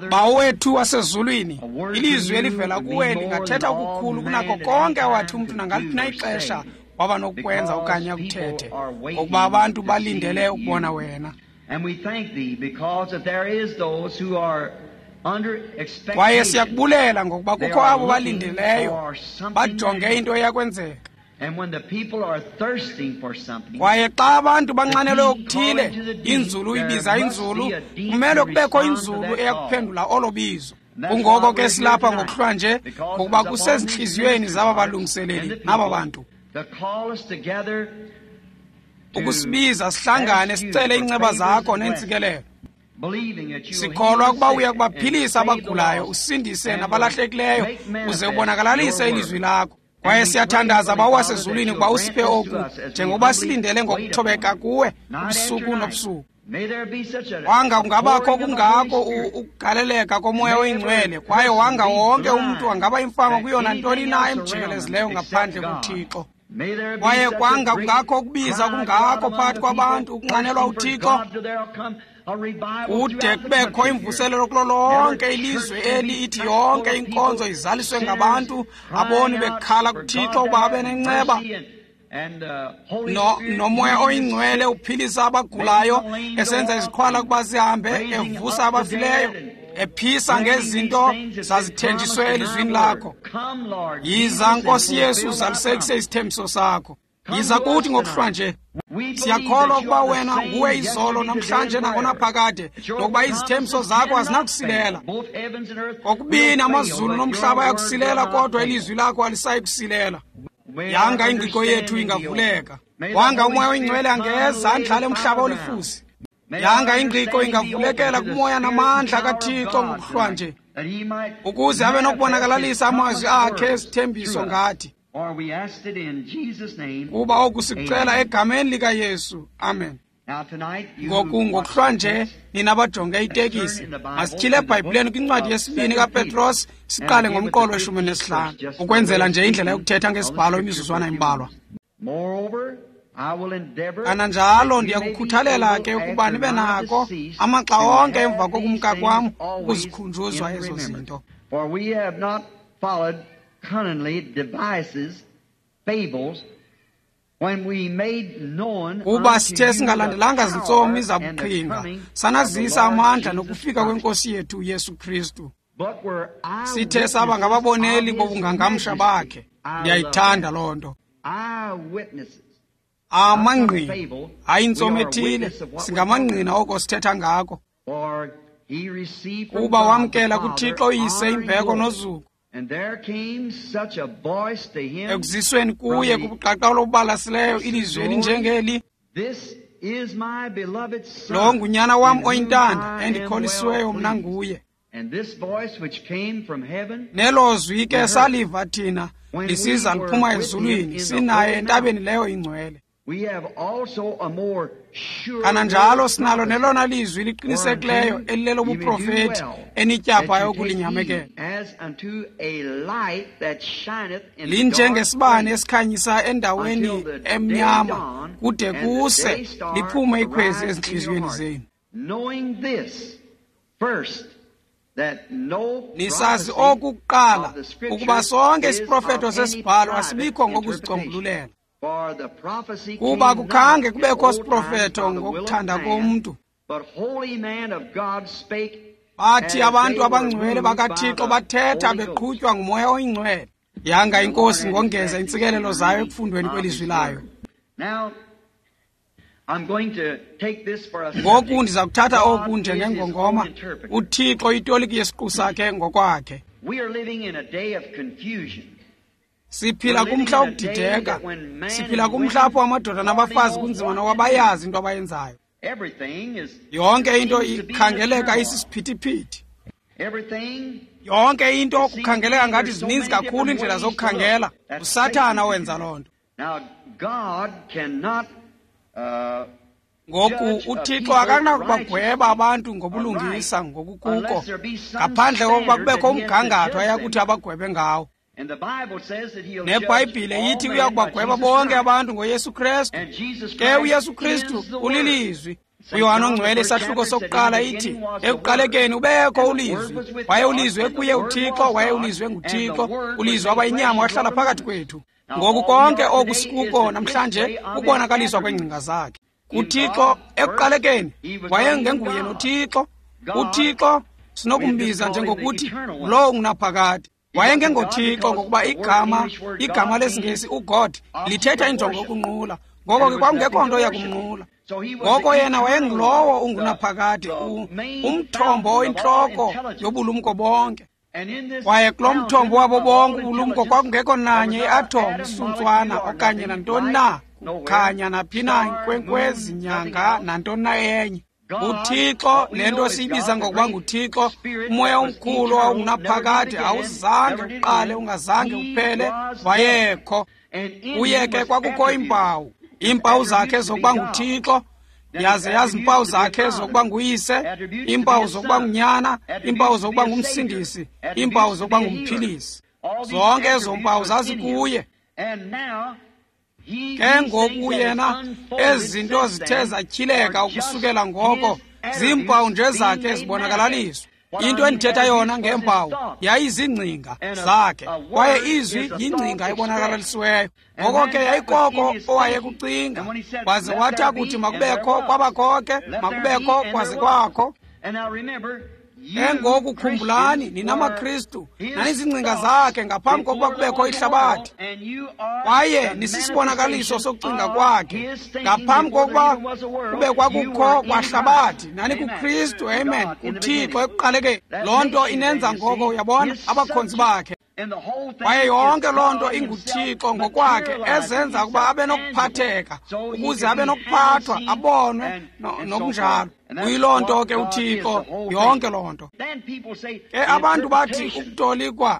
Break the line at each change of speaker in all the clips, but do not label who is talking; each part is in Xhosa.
Bawo wethu wasezulwini, ilizwi elivela kuwe lingathetha okukhulu kunako konke awathi umntu nangaliphi na ixesha waba nokukwenza okanye akuthethe, ngokuba abantu balindele ukubona wena. Kwaye siyakubulela ngokuba kukho abo balindeleyo, bajonge into eyakwenzeka. Kwaye xa abantu banxanelwe okuthile, inzulu ibiza inzulu, kumele kubekho inzulu eyakuphendula olo bizo. Kungoko ke silapha ngokuhlwa nje, ngokuba kusezintliziyweni zaba balungiseleli naba bantu ukusibiza sihlangane sicele iinceba zakho neentsikelelo. Sikholwa ukuba uya kubaphilisa abagulayo, usindise nabalahlekileyo, uze ubonakalalise ilizwi lakho. Kwaye siyathandaza Bawo wasezulwini ukuba usiphe oku, njengokuba silindele ngokuthobeka kuwe ubusuku nobusuku. Wanga kungabakho kungako ukugaleleka komoya oyingcwele, kwaye wanga wonke umntu angaba imfama kuyo nantoni na emjikelezileyo ngaphandle kuThixo. Kwaye kwanga kungakho ukubiza kungako phakathi kwabantu ukunxanelwa uThixo, kude kubekho imvuselelo kulo lonke ilizwe eli, ithi yonke inkonzo izaliswe ngabantu aboni bekhala kuThixo ukuba abe nenceba, nomoya oyingcwele uphilisa abagulayo, esenza iziqhwala ukuba zihambe, evusa abafileyo, ephisa ngezinto zazithenjiswe elizwini lakho. Yiza Nkosi Yesu, uzalisekise isithembiso sakho. Yiza kuthi ngokuhlwa nje. Siyakholwa ukuba wena nguwe izolo namhlanje nangonaphakade, nokuba izithembiso zakho azinakusilela. Kokubini amazulu nomhlaba ayakusilela, kodwa ilizwi lakho alisayi kusilela. Yanga ingqiqo yethu ingavuleka. Wanga umoya oyingcwele angeza andlale umhlaba olifusi. Yanga ingqiqo ingavulekela kumoya namandla kaThixo ngokuhlwa nje, ukuze abe nokubonakalalisa amazwi akhe esithembiso ngathi. Kuba oku sikucela egameni likaYesu. Amen. Ngoku ngokuhlwa nje nina bajonge itekisi, masityhile eBhayibhileni kwincwadi yesibini kaPetros, siqale ngomqolo we-15, ukwenzela nje indlela yokuthetha ngesibhalo imizuzwana embalwa. Kananjalo ndiyakukhuthalela ke ukuba nibe nako amaxa onke emva kokumka kwam ukuzikhunjuzwa ezo zinto. Kuba sithe singalandelanga zintsomi zabuqhinga, sanazisa amandla nokufika kwenkosi yethu uYesu Kristu. Sithe saba ngababoneli bobungangamsha bakhe. Ndiyayithanda loo nto. Amangqina, hayi intsomi ethile, singamangqina oko sithetha ngako. Kuba wamkela kuThixo uyise imbeko nozuko. Ekuzisweni kuye kubuqaqawulo obubalasileyo ilizwi elinjengeli, lo ngunyana wam oyintanda endikholisiweyo mna nguye. Nelo zwi ke saliva thina lisiza liphuma ezulwini, sinaye entabeni leyo ingcwele. Kananjalo sinalo nelona lizwi liqinisekileyo elilelobuprofeti enityaphayo ukulinyamekela. Linjengesibane esikhanyisa endaweni emnyama, kude kuse liphume ikhwezi ezintliziyweni zenu. Nisazi oku kuqala, ukuba sonke isiprofeto sesibhalo asibikho ngokuzicombululela. Kuba kukhange kubekho siprofeto ngokuthanda komntu. Bathi abantu abangcwele bakaThixo bathetha beqhutywa ngumoya oyingcwele. Yanga inkosi ngongeza intsikelelo zayo ekufundweni kwelizwi layo. Ngoku ndiza kuthatha oku njengengongoma, uThixo itoliki yesiqu sakhe ngokwakhe. Siphila kumhla wokudideka. Siphila kumhla apho amadoda nabafazi kunzima nokuba bayazi into abayenzayo. Yonke into ikhangeleka isisiphithiphithi. Yonke into kukhangeleka ngathi zininzi kakhulu iindlela zokukhangela. USathana wenza loo nto. Ngoku uThixo akanakubagweba abantu ngobulungisa ngokukuko, ngaphandle kokuba kubekho umgangatho ayakuthi abagwebe ngawo. NeBhayibhile ithi uya kubagweba bonke abantu ngoYesu Kristu. Ke uYesu Kristu ulilizwi. UYohane oNgcwele isahluko sokuqala ithi, ekuqalekeni ubekho uLizwi, waye uLizwi ekuye uThixo, waye uLizwi enguThixo, uLizwi waba yinyama wahlala phakathi kwethu. Ngoku konke oku sikuko namhlanje kukubonakaliswa kweengcinga zakhe. UThixo ekuqalekeni wayengenguye noThixo. UThixo sinokumbiza njengokuthi lowo ungunaphakade. WayengengoThixo ngokuba igama lesiNgesi uGod lithetha injongo yokunqula. Ngoko ke kwakungekho nto yakumnqula. Ngoko yena wayengulowo ungunaphakade, umthombo oyintloko yobulumko bonke. Kwaye kulo mthombo wabo bonke ubulumko kwakungekho nanye iathom, isuntswana okanye nantoni na, kukhanya naphi na, inkwenkwezi, nyanga, nantoni na enye. UThixo, le nto siyibiza ngokuba nguThixo, umoya omkhulu owawungunaphakade, awuzange uqale, ungazange uphele, wayekho. Kuye ke kwakukho iimpawu, iimpawu zakhe zokuba nguThixo, yaze yazi iimpawu zakhe zokuba nguyise, iimpawu zokuba ngunyana, iimpawu zokuba ngumsindisi, iimpawu zokuba ngumphilisi. Zonke ezo mpawu zazikuye. Ke ngoku yena ezi zinto zithe zatyhileka ukusukela ngoko ziimpawu nje zakhe zibonakalaliswa. Into endithetha yona ngeempawu yayizingcinga zakhe, kwaye izwi yingcinga ebonakalisiweyo. Ngoko ke yayikoko owayekucinga, waze wathi akuthi makubekho, kwabakho ke, makubekho kwaze kwakho. Ke ngoku khumbulani, nina maKristu, nanizingcinga zakhe ngaphambi kokuba kubekho ihlabathi, kwaye nisisibonakaliso sokucinga kwakhe ngaphambi kokuba kube kwakukho kwahlabathi. Nani kuKristu, amen, kuThixo ekuqalekeni. Loo nto inenza ngoko, uyabona, abakhonzi bakhe. Kwaye yonke loo nto inguThixo ngokwakhe ezenza ukuba abe nokuphatheka, ukuze abe nokuphathwa, abonwe nokunjalo. Kuyiloo nto ke uThixo, yonke loo nto. Ke abantu bathi ukutolikwa.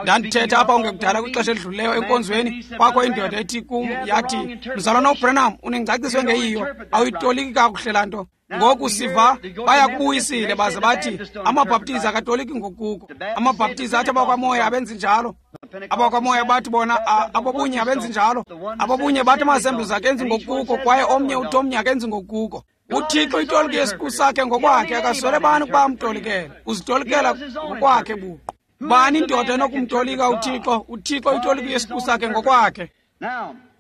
Ndandithetha apha ungekudala kwixesha elidlulileyo enkonzweni, kwakho indoda ethi kum, yathi, Mzalwana uBranham, unengcaciso engeyiyo, awuyitoliki kakuhle laa nto. Ngoku siva bayakubuyisile baze bathi amaBhaptizi akatoliki ngokuko. AmaBhaptizi athi abakwamoya abenzi njalo. Abakwamoya bathi bona abobunye abenzi njalo. Abobunye bathi ama-Assemblies akenzi ngokuko, kwaye omnye uthi omnye akenzi ngokuko. UThixo itolike yesiqu sakhe ngokwakhe, akaswele bani ukuba amtolikele. Uzitolikela ngokwakhe buqu. Bani indoda enokumtolika uThixo? UThixo itolike yesiqu sakhe ngokwakhe.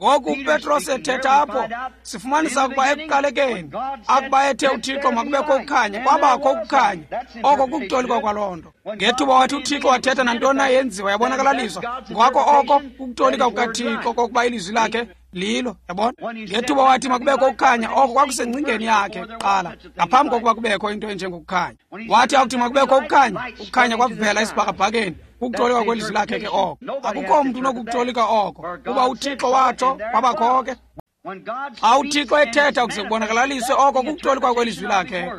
Ngoku uPetros ethetha apho, sifumanisa ukuba ekuqalekeni akuba ethe uThixo makubekho ukukhanya, kwabakho ukukhanya. Oko kukutolikwa kwaloo nto. Ngethuba wathi uThixo wathetha nantoni na yenziwa yabonakalaliswa, ngako oko kukutolika kukaThixo kokuba ilizwi lakhe lilo, yabona. Ngethuba wathi makubekho ukukhanya, oko kwakusengcingeni yakhe kuqala, ngaphambi kokuba kubekho into enjengokukhanya. Wathi akuthi makubekho ukukhanya, ukukhanya kwavela esibhakabhakeni. Kukutolika kwelizwi lakhe ke oko. Akukho mntu unokukutolika oko, kuba uThixo watsho kwabakho ke. Xa uThixo ethetha ukuze kubonakalaliswe oko kukutolikwa kwelizwi lakhe.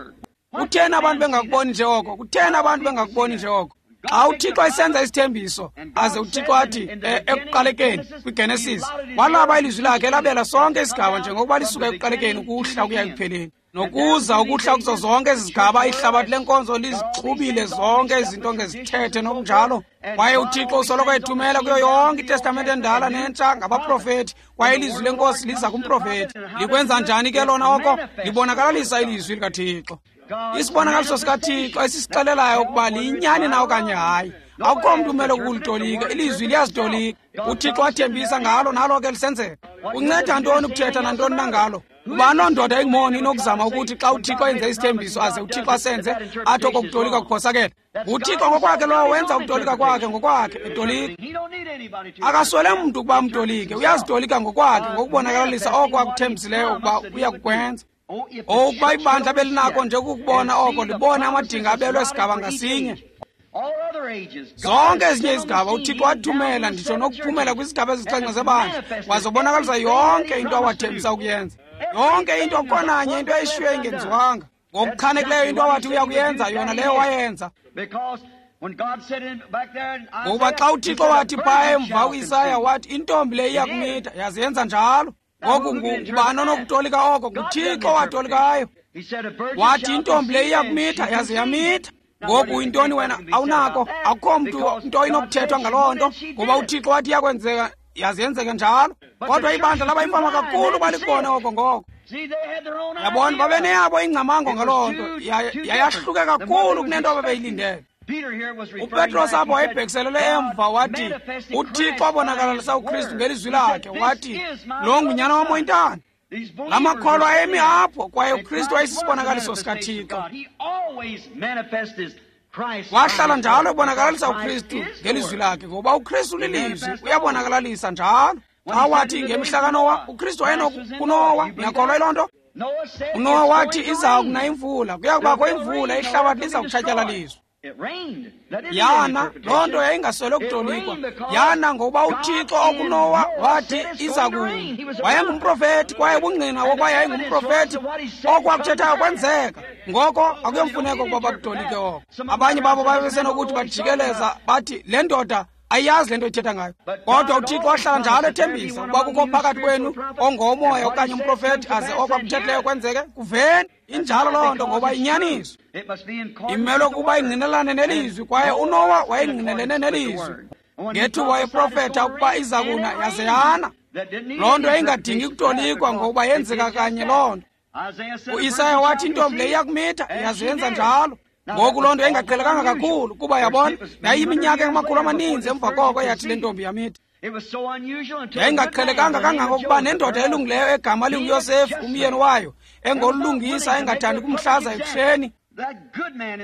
Kutheni abantu bengakuboni nje oko? Kutheni abantu bengakuboni nje oko? Xa uThixo esenza isithembiso, aze uThixo athi ekuqalekeni kwiGenesis, walaba ilizwi lakhe elabela sonke isigaba njengokuba lisuka ekuqalekeni ukuhla ukuya ekupheleni. Nokuza ukuhla kuzo zonke ezi zigaba, ihlabathi lenkonzo lizixhubile zonke izinto ngezithethe nokunjalo. Kwaye uThixo usoloko ethumela kuyo yonke iTestamente endala nentsha ngabaprofethi, kwaye ilizwi lenkosi liza kumprofethi. Likwenza njani ke lona oko? Libonakalalisa ilizwi likaThixo. Isibonakaliso sikaThixo esisixelelayo ukuba liyinyani na okanye hayi. Akukho mntu umele ukulitolika, ilizwi liyazitolika. UThixo wathembisa ngalo, nalo ke lisenzeka. Kunceda ntoni ukuthetha nantoni na ngalo? Kuba loo ndoda ingumoni inokuzama ukuthi xa uThixo enze isithembiso aze uThixo asenze, athi oko kutolika kuphosakele. UThixo ngokwakhe lowo wenza ukutolika kwakhe ngokwakhe, etolika. Akaswele mntu ukuba amtolike, uyazitolika ngokwakhe ngokubonakalisa oko akuthembisileyo ukuba uyakukwenza. Ukuba ibandla belinako nje ukukubona oko, libone amadinga abelwe sigaba ngasinye. Zonke ezinye izigaba uThixo wathumela, nditsho nokuphumela kwizigaba ezisixhenxe zebandla, wazobonakalisa yonke into awathembisa ukuyenza. Yonke into, khonanye into eyishiywe ingenziwanga. Ngokuchanekileyo into awathi uya kuyenza, yona leyo wayenza. Ngokuba xa uThixo wathi phaa emva uIsaya wathi intombi le iya kumitha, yaze yenza njalo. Ngoku ngubani onokutolika oko? NguThixo watolikayo. Wathi intombi le iya kumitha, yaze yamitha. Ngoku intoni wena awunako, akukho mntu nto inokuthethwa ngaloo nto, ngoba uThixo wathi iyakwenzeka, yaze yenzeke njalo. Kodwa ibandla laba imfama kakhulu balikubone oko ngoko. Yabona, babeneyabo ingcamango ngaloo nto, yayahluke kakhulu kunento ababeyilindele. UPetros apho wayebhekiselele emva wathi uThixo wabonakalisa uKristu ngelizwi lakhe, wathi lo ngunyana wam oyintanda. La makholwa ayemi apho, kwaye uKristu wayesisibonakaliso sikaThixo. Wahlala njalo ebonakalisa uKristu ngelizwi lakhe, ngoba uKristu lilizwi, uyabonakalalisa njalo. Xa wathi ngemihla kaNowa, uKristu wayenokuNowa, niyakholwa yiloo nto? UNowa wathi iza kuna imvula, kuya kubakho imvula, ihlabathi liza kutshatyalaliswa. Yana, loo nto yayingaswele kutolikwa. Yana ngokuba uThixo okuNowa wathi iza kuna. Wayengumprofethi, kwaye ubungqina wokuba yayingumprofethi, okwakuthethayo kwenzeka. Ngoko akuyomfuneko ukuba bakutolike oko. Abanye babo babesenokuthi bajikeleza bathi le ndoda ayiyazi le nto ithetha ngayo. Kodwa uThixo wahlala njalo ethembisa ukuba kukho phakathi kwenu ongomoya okanye umprofethi, aze okwakuthethileyo kwenzeke. Kuveni injalo loo nto, ngoba inyaniso imelwe ukuba ingqinelane nelizwi, kwaye uNowa wayengqinelene nelizwi ngethuba wayeprofetha ukuba iza kuna, yaze yana. Loo nto yayingadingi kutolikwa, ngokuba yenzeka kanye loo nto. UIsaya wathi intombi le iyakumitha, yaze yenza njalo. Ngoku loo nto yayingaqhelekanga kakhulu, kuba yabona yayiminyaka engamakhulu amaninzi emva koko yathi le ntombi yamitha. Yayingaqhelekanga kangangokuba nendoda elungileyo egama linguYosefu, umyeni wayo, engolungisa, engathandi kumhlaza ekuhleni.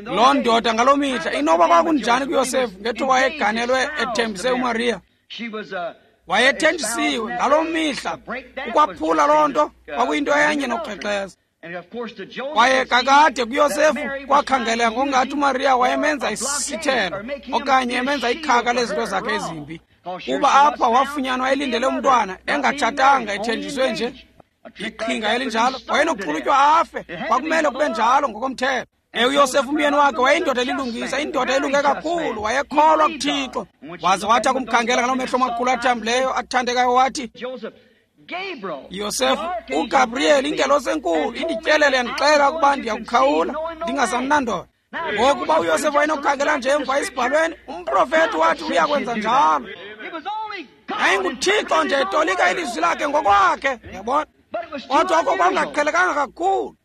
Loo ndoda ngaloo mihla, inoba kwakunjani kuYosefu ngethuba wayeganelwe ethembise uMariya? Wayethenjisiwe ngaloo mihla. Ukwaphula loo nto kwakuyinto enye nokukrexeza. Kwaye kakade kuYosefu kwakhangeleka ngokungathi uMariya wayemenza isithelo okanye emenza ikhaka lezinto zakhe ezimbi, kuba apha wafunyanwa elindele umntwana engatshatanga, ethenjiswe nje. Iqhinga elinjalo, wayenokuxulutywa afe. Kwakumele kube njalo ngokomthetho. UYosefu umyeni wakhe wayeyindoda elilungisa, indoda elunge kakhulu, wayekholwa kuThixo. Waze wathi akumkhangela ngaloo mehlo amakhulu athambileyo athandekayo, wathi, Yosefu, uGabriyeli ingelosi enkulu indityelele yandixela ukuba ndiyakukhawula ndingasamnandoda. Ngokuba uYosefu wayenokukhangela nje emva esibhalweni, umprofethi wathi uyakwenza njalo. YayinguThixo nje etolika ilizwi lakhe ngokwakhe, yabona. Kodwa oko kwakungaqhelekanga kakhulu.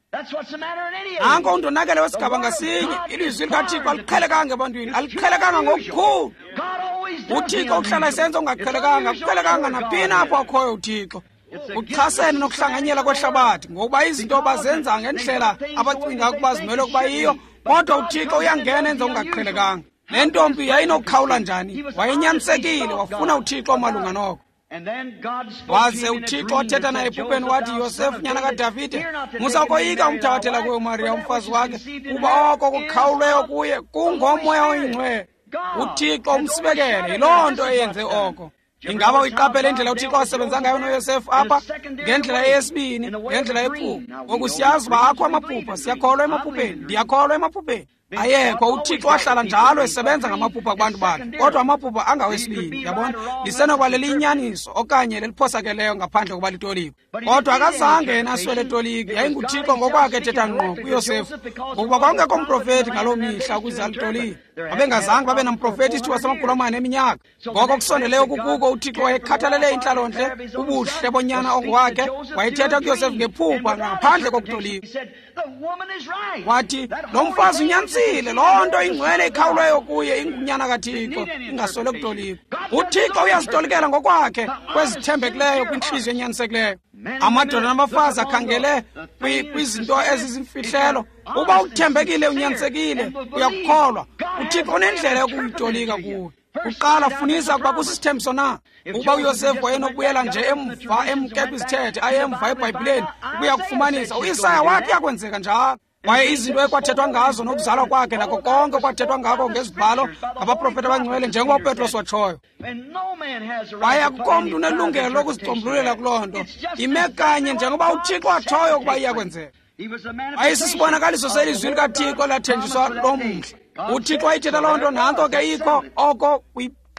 Nanko undonakele wesigaba ngasinye, ilizwi likaThixo aliqhelekanga ebantwini, aliqhelekanga ngokukhulu. UThixo uhlala esenza okungaqhelekanga, akuqhelekanga naphina apho akhoyo uThixo. Kuchasene nokuhlanganyela kwehlabathi, ngokuba izinto bazenza ngendlela abacinga ukuba zimele ukuba yiyo, kodwa uThixo uyangena enze okungaqhelekanga. Le ntombi yayinokukhawula njani? Wayenyanisekile, wafuna uThixo malunga noko. Waze uThixo wathetha naye ephupheni wathi, Yosefu nyana kaDavide, musa ukoyika umthabathela kuye uMariya umfazi wakhe, kuba oko kukhawulweyo kuye kungomoya oyingcwele. uThixo umsibekele, yiloo nto eyenze oko. Ingaba uyiqaphele indlela uThixo asebenza ngayo noYosefu apha? Ngendlela eyesibini, ngendlela yephupha. Ngoku siyazi uba akho amaphupha, siyakholwa emaphupheni, ndiyakholwa emaphupheni. Ayekho, uThixo wahlala njalo esebenza ngamaphupha kubantu bakhe, kodwa amaphupha angawesibini, yabona, lisenokuba leliyinyaniso okanye leliphosakeleyo ngaphandle kokuba litolikwe. Kodwa akazange yena aswele toliki, yayinguThixo ngokwakhe ethetha ngqo kuYosefu, ngokuba kwakungekho mprofethi ngaloo mihla ukuze alitolike. Babengazange babe namprofethi isithuba samakhulu amane eminyaka. Ngoko kusondeleyo kukuko uThixo wayekhathalele intlalontle, ubuhle bonyana ongowakhe, wayethetha kuYosefu ngephupha ngaphandle kokutolika. Wathi, lo mfazi unyanisile, loo nto ingcwele ikhawulweyo kuye ingunyana kaThixo, ingaswele kutolikwa. uThixo uyazitolikela ngokwakhe kwezithembekileyo kwintliziyo enyanisekileyo. Amadoda nabafazi akhangele kwizinto ezizimfihlelo. Uba uthembekile, unyanisekile, uyakukholwa, uThixo unendlela yokuyitolika kuwe. Kuqala funisa ukuba kusisithembiso na. Ukuba uYosefu wayenokubuyela nje emva emke kwizithethe, aye emva eBhayibhileni ukuya kufumanisa, uIsaya wathi kuyakwenzeka njalo. Kwaye izinto ekwathethwa ngazo nokuzalwa kwakhe nako konke okwathethwa ngako ngezibhalo ngabaprofeti abangcwele, njengoba uPetros watshoyo. Kwaye akukho mntu unelungelo lokuzicombululela kuloo nto. Ime kanye njengoba uThixo atshoyo ukuba iyakwenzeka. Ayisisibonakaliso selizwi likaThixo lathenjiswa lo mhla. uThixo wayithetha loo nto, nantso ke ikho, oko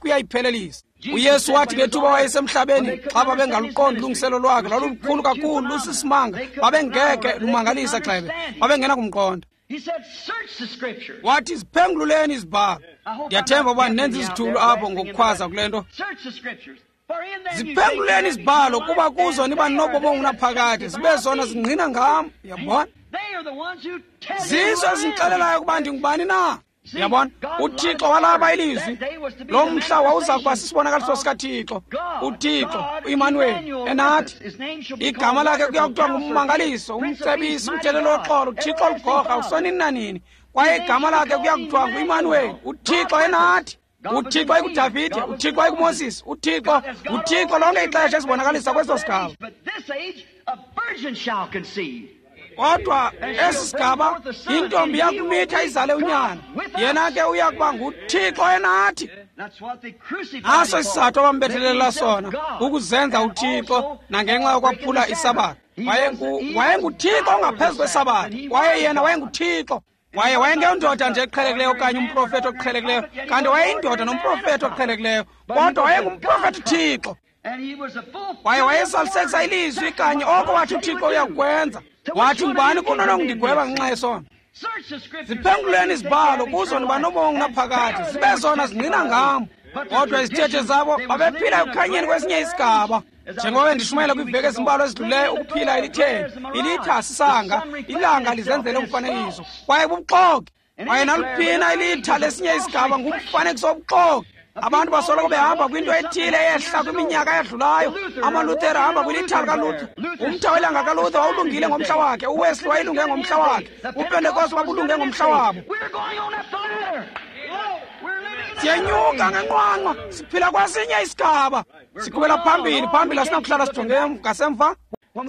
kuyayiphelelisa. uYesu wathi ngethuba wayesemhlabeni, xa babengaluqondi ulungiselo lwakhe, lwalulukhulu kakhulu, lusisimanga, babengeke lumangalisa gxebe, babengena kumqonda. Wathi, ziphengululeni izibhalo. Ndiyathemba uba nenza izithulu apho ngokukhwaza kule nto. Ziphenguleni izibhalo kuba kuzo niba nobomi obungunaphakade, zibe zona zingqina ngam. Uyabona? Zizo ezindixelelayo ukuba ndingubani na. Uyabona? UThixo walaba ilizwi. Lo mhla wawuza kuba sisibonakaliso sikaThixo. UThixo, uImanuweli, enathi. Igama lakhe kuya kuthiwa nguMmangaliso, uMcebisi, uMtheleli woxolo, uThixo oligorha, usonini nanini. Kwaye igama lakhe kuya kuthiwa nguImanuweli, uThixo enathi. UThixo ayikuDavide, uThixo ayikuMoses, uThixo, uThixo lonke ixesha esibonakalisa kweso sigaba. Kodwa esi sigaba intombi yakumitha izale unyana, yena ke uya kuba nguThixo enathi. Naso isizathu abambethelela sona, ukuzenza uThixo nangenxa yokwaphula isabatha. WayenguThixo ongaphezu kwesabatha, kwaye yena wayenguThixo. Kwaye wayengeyondoda nje eqhelekileyo okanye umprofethi oqhelekileyo, kanti wayeyindoda nomprofethi oqhelekileyo, kodwa wayengumprofethi uThixo. Kwaye wayesalisekisa ilizwi kanye oko wathi uThixo uyakukwenza. Wathi, ngubani kunonondigweba ngenxa yesono? Ziphenguleni izibhalo kuzo niba nobomi obungunaphakade, zibe zona zingqina ngam. Kodwa izithethe zabo babephila ekukhanyeni kwesinye isigaba. Njengoba ndishumayela kwiiveki ezimbalwa ezidluleyo, ukuphila elitheni, ilitha sisanga, ilanga lizenzele umfanekiso, kwaye bubuxoki. Kwaye naluphina ilitha lesinye isigaba ngumfanekiso wobuxoki. Abantu basoloko behamba kwinto ethile eyehla kwiminyaka eyadlulayo. AmaLuthera ahamba kwilitha likaLuther. Umtha welanga kaLuther wawulungile ngomhla wakhe, uWesley wayelunge ngomhla wakhe, uPentekoste wabulunge ngomhla wabo. Siyenyuka ngenqwanqwa, siphila kwesinye isigaba. Siqhubela phambili, phambili, asinakuhlala sijonge ngasemva.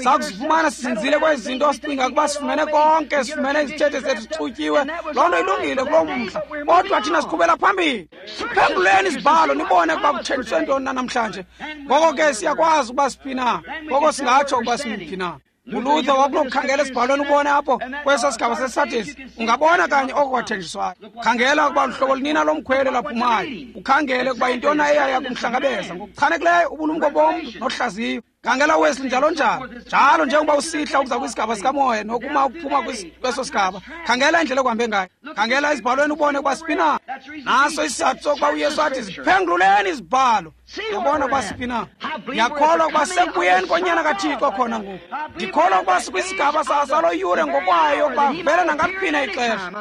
Sakuzifumana sizinzile kwezi zinto, sicinga ukuba sifumene konke, sifumene izithethe zethu zixutyiwe. Loo nto ilungile kuloo mhla, kodwa thina siqhubela phambili. Siphenguleni izibhalo nibone ukuba kuthenjiswe ntoni na namhlanje. Ngoko ke siyakwazi ukuba siphi na, ngoko singatsho ukuba simphi na. ULuther wakunokukhangela esibhalweni ubone apho kweso sigaba seSardis, ungabona kanye oko kwathenjiswayo. Khangela ukuba luhlobo lunina lomkhwelo laphumayo, ukhangele ukuba yintoni eyaya kumhlangabeza ngokuchanekileyo ubulumko bomntu nohlaziyo. Khangela uWesley njalo njalo, njalo njengoba usihla ukuza kwisigaba sikamoya nokuma ukuphuma kweso sigaba. Khangela indlela okuhambe ngayo, khangela ezibhalweni ubone ukuba siphi na. Naso isizathu sokuba uYesu athi ziphengululeni izibhalo, yabona ukuba siphi na. Ndiyakholwa ukuba sekubuyeni konyana kaThixo khona ngoku. Ndikholwa ukuba sikwisigaba salo yure ngokwayo ukuba vele nangaliphi ixesha.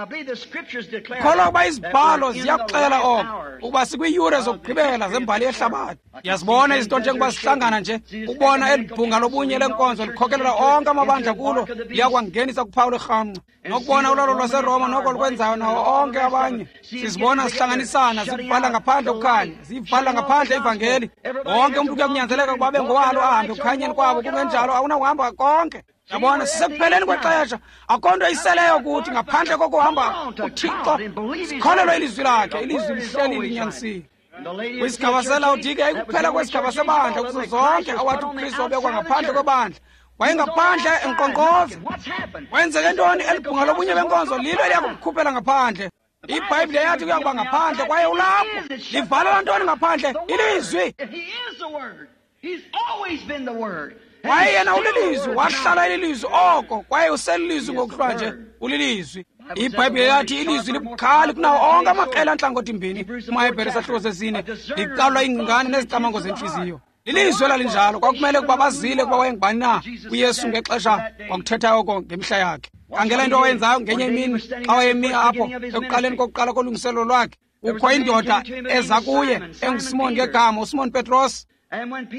Ndikholwa ukuba izibhalo ziyakuxela oko, ukuba sikwiiyure zokugqibela zembali yehlabathi. Ndiyazibona izinto njengoba zihlangana nje, ubona eli bhunga lobunye lenkonzo likhokelela onke amabandla kulo, liyakwangenisa kuphawu lwerhamncwa. Nokubona ulawulo lwaseRoma noko lukwenzayo nawo onke abanye. Sizibona zihlanganisana, zibhala ngaphandle ukukhanya, zibhala ngaphandle ivangeli. Wonke umntu kuyakunyanzeleka ukuba abe ngowalo ahambe ekukhanyeni kwabo, kungenjalo awunakuhamba konke. Yabona, sisekupheleni kwexesha. Akho nto iseleyo kuthi ngaphandle kokuhamba uThixo. Sikholelwe ilizwi lakhe, ilizwi lihleli linyanisile. Kwisigaba seLawodike yayikuphela kwesigaba sebandla kuzo zonke awathi uKristu wabekwa ngaphandle kwebandla. Wayengaphandle enkqonkqoza. Kwenzeke ntoni? Eli bhunga lobunye benkonzo lilo eliyakumkhuphela ngaphandle. IBhayibhile yathi kuya kuba ngaphandle, kwaye ulapho. Livalela ntoni ngaphandle? Ilizwi. Kwaye yena ulilizwi, wahlala elilizwi oko, kwaye uselilizwi ngokuhlwa nje, ulilizwi. IBhayibhile yathi ilizwi libukhali kunawo onke amaqela antlangothi mbini, kumaHebhere isahluko sesine, licalwa iingcingane nezicamango zentliziyo. Lilizwi elalinjalo, kwakumele ukuba bazile ukuba wayengubani na uYesu ngexesha kwakuthetha oko ngemihla yakhe. Khangela into awayenzayo ngenye imini xa wayemi apho ekuqaleni kokuqala kolungiselelo lwakhe. Kukho indoda eza kuye enguSimon ngegama, uSimon Petros.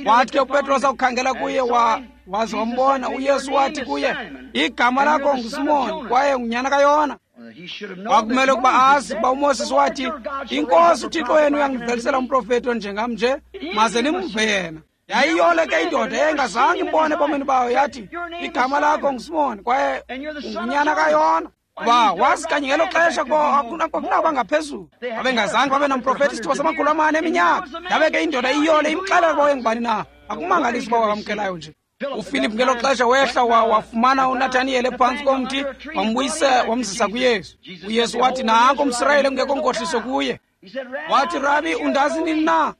Wathi ke uPetros akukhangela kuye waze wambona uYesu, wathi kuye, igama lakho nguSimon kwaye ngunyana kaYona. Kwakumele ukuba azi ukuba uMoses wathi, iNkosi uThixo wenu uyangivelisela umprofeti onjengam nje, maze nimve yena. Yayiyole ke indoda eyayingazange imbone ebomini bayo, yathi, igama lakho nguSimon kwaye ngunyana kaYona. Kuba wazi kanye ngelo xesha kuba akunaba ngaphezulu. Babengazange babe namprofeti isithuba samakhulu amane eminyaka. Yabe ke indoda iyole imxelela ukuba wayengubani na. Akumangalisi uba wamkelayo nje. uFilip ngelo xesha wehla wafumana uNathaniyeli ephantsi komthi, wambuyisa wamzisa kuYesu. uYesu wathi, nanko umSirayeli ekungekho nkohliso kuye. Wathi, Rabi, undazi nini na?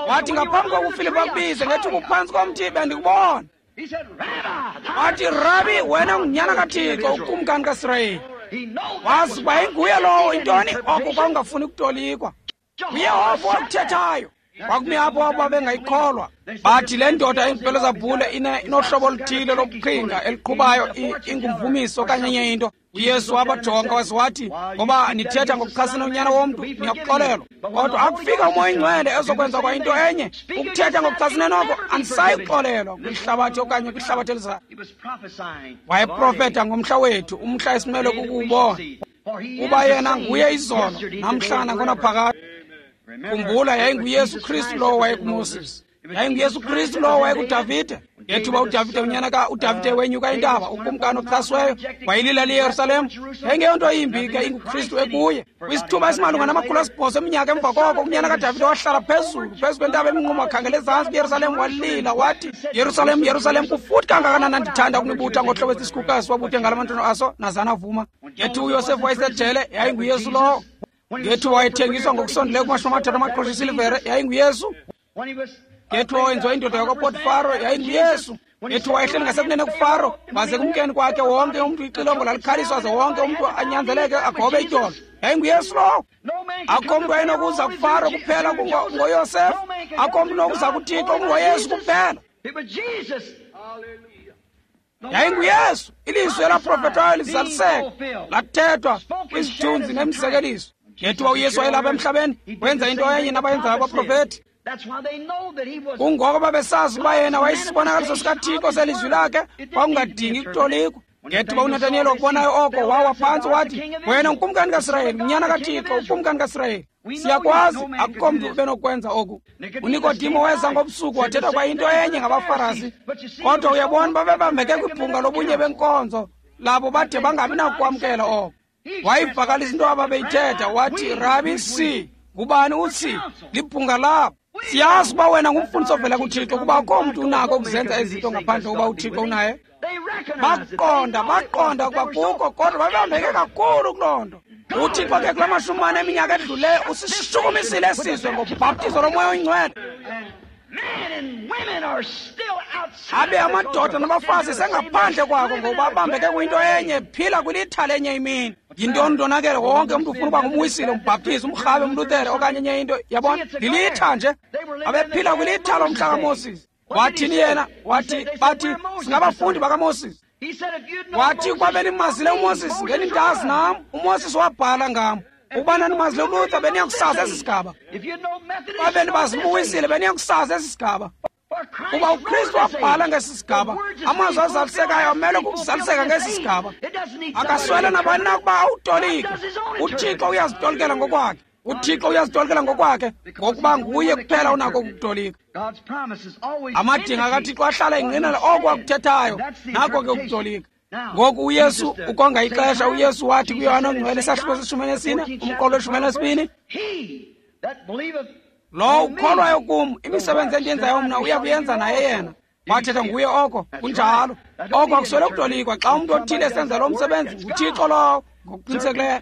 Wathi, ngaphambi kokuba uFilip akubize, ngethi ubuphantsi komthi bendikubona. Wathi, Rabi, wena ngunyana kaThixo, ukumkani kaSirayeli. Wazi ukuba inguye lowo, intoni oko kwakungafuni ukutolikwa. UYehova wakuthethayo. Kwakumi apho abo babengayikholwa. Bathi le ndoda ingubhelezabhule inohlobo oluthile lobuqhinga eliqhubayo, ingumvumiso okanye enye into. UYesu wabajonga waze wathi, ngoba nithetha ngokuchasene uNyana womntu, niyakuxolelwa. Kodwa akufika uMoya oyiNgcwele ezokwenza kwa into enye, ukuthetha ngokuchasene noko, anisayi kuxolelwa kwihlabathi okanye kwihlabathi elizayo. Wayeprofetha ngomhla wethu, umhla esimele kukuwubona. Kuba yena nguye izolo, namhla nangonaphakade. Khumbula, yayinguYesu Kristu lowo wayekuMoses. YayinguYesu Kristu lowo wayekuDavide. Ngethuba uDavide unyana ka-uDavide wenyuka intaba, ukumkani ochasweyo, wayilila liYerusalem. Yayingeyonto yimbi ke inguKristu ekuye. Kwisithuba esimalunga nama-800 eminyaka emva koko, unyana kaDavide wahlala phezulu phezu kwentaba eminqumo, wakhangela ezantsi kwiYerusalem, walila wathi, Yerusalem, Yerusalem, kufuthi kangakanani ndithanda ukunibutha ngohlobo esisikhukasi wabuthe ngala mantwana aso, nazana vuma. Ngethuba uYosefu wayesejele, yayinguYesu lowo. Ngethuba wayethengiswa ngokusondeleyo kuma-30 amaqhosha esilivere, yayinguYesu. Ngethuba wayenziwa indoda yakwaPotifaro, yayinguYesu. Ngethuba wayehleli ngasekunene kuFaro, baze kumkeni kwakhe wonke umntu ixilongo lalikhaliswa, aze wonke umntu anyanzeleke agobe ityolo, yayinguYesu lowo. Akho mntu wayenokuza kuFaro kuphela ngoYosefu. Akho mntu unokuza kuThixo kungoYesu kuphela. YayinguYesu. Ilizwi elaprofetwayo lizaliseka, lathethwa kwizithunzi nemizekeliso. Ngethuba uYesu wayelapha emhlabeni, wenza into enye nabayenzayo abaprofethi. Kungoko babesazi ukuba yena wayesibonakaliso sikaThixo selizwi lakhe, kwakungadingi kutolikwa. Ngethuba uNataniyeli wakubonayo oko, wawa phantsi wathi, wena ngukumkani kaSirayeli, unyana kaThixo, ukumkani kaSirayeli. Siyakwazi, akukho mntu ubenokwenza oku. UNikodimo weza ngobusuku wathetha kwa into enye ngabaFarasi. Kodwa uyabona, babebambeke kwibhunga lobunye benkonzo labo bade bangabi nakukwamkela oko. Wayivakalisa into ababeyithetha, wathi, Rabi, si ngubani uthi libhunga labo. Siyazi uba wena ngumfundisi ovela kuThixo, kuba akukho mntu unako ukuzenza izinto ngaphandle kokuba uThixo unaye. Baqonda ukuba kukho, kodwa babambeke kakhulu kuloo nto. UThixo ke kula 40 eminyaka edluleyo usishukumisile esizwe ngobhaptizo loMoya oyiNgcwele. Abe amadoda nabafazi sengaphandle kwako ngokuba babambeke kwinto enye, phila kwilitha lenye imini. Yintoni ndonakele? Wonke umntu ufuna uba ngumwisile, umbhaptizi, umrhabe, umlutere okanye enye into. Yabona, lilitha nje. Abephila kwilitha lomhla kaMoses. Wathini yena? Wathi, bathi singabafundi bakaMoses. Wathi ukuba benimazile uMoses, ngenindazi nam. uMoses wabhala ngam. Ukuba nanimazile uLuther, beniyakusazi esi sigaba. Uba benibazibuwisile, beniyakusazi esi sigaba. Kuba uKristu wabhala ngesi sigaba, amazwi azalisekayo amele ukuzaliseka ngesi sigaba. Akaswele nabani na ukuba awutolike. UThixo uyazitolikela ngokwakhe. UThixo uyazitolikela ngokwakhe, ngokuba nguye kuphela unako ukutolika. Amadinga kaThixo ahlala engqinela oko akuthethayo, nako ke ukutolika. Ngoku uYesu ukonga ixesha, uYesu wathi kuYohane oNgcwele isahluko se-14, umqolo we-12, lowo ukholwayo kum, imisebenzi endiyenzayo mna uya kuyenza naye yena. Wathetha nguye oko, kunjalo. Oko akuswele ukutolikwa. Xa umntu othile esenza lo msebenzi, nguThixo lowo ngokuqinisekileyo.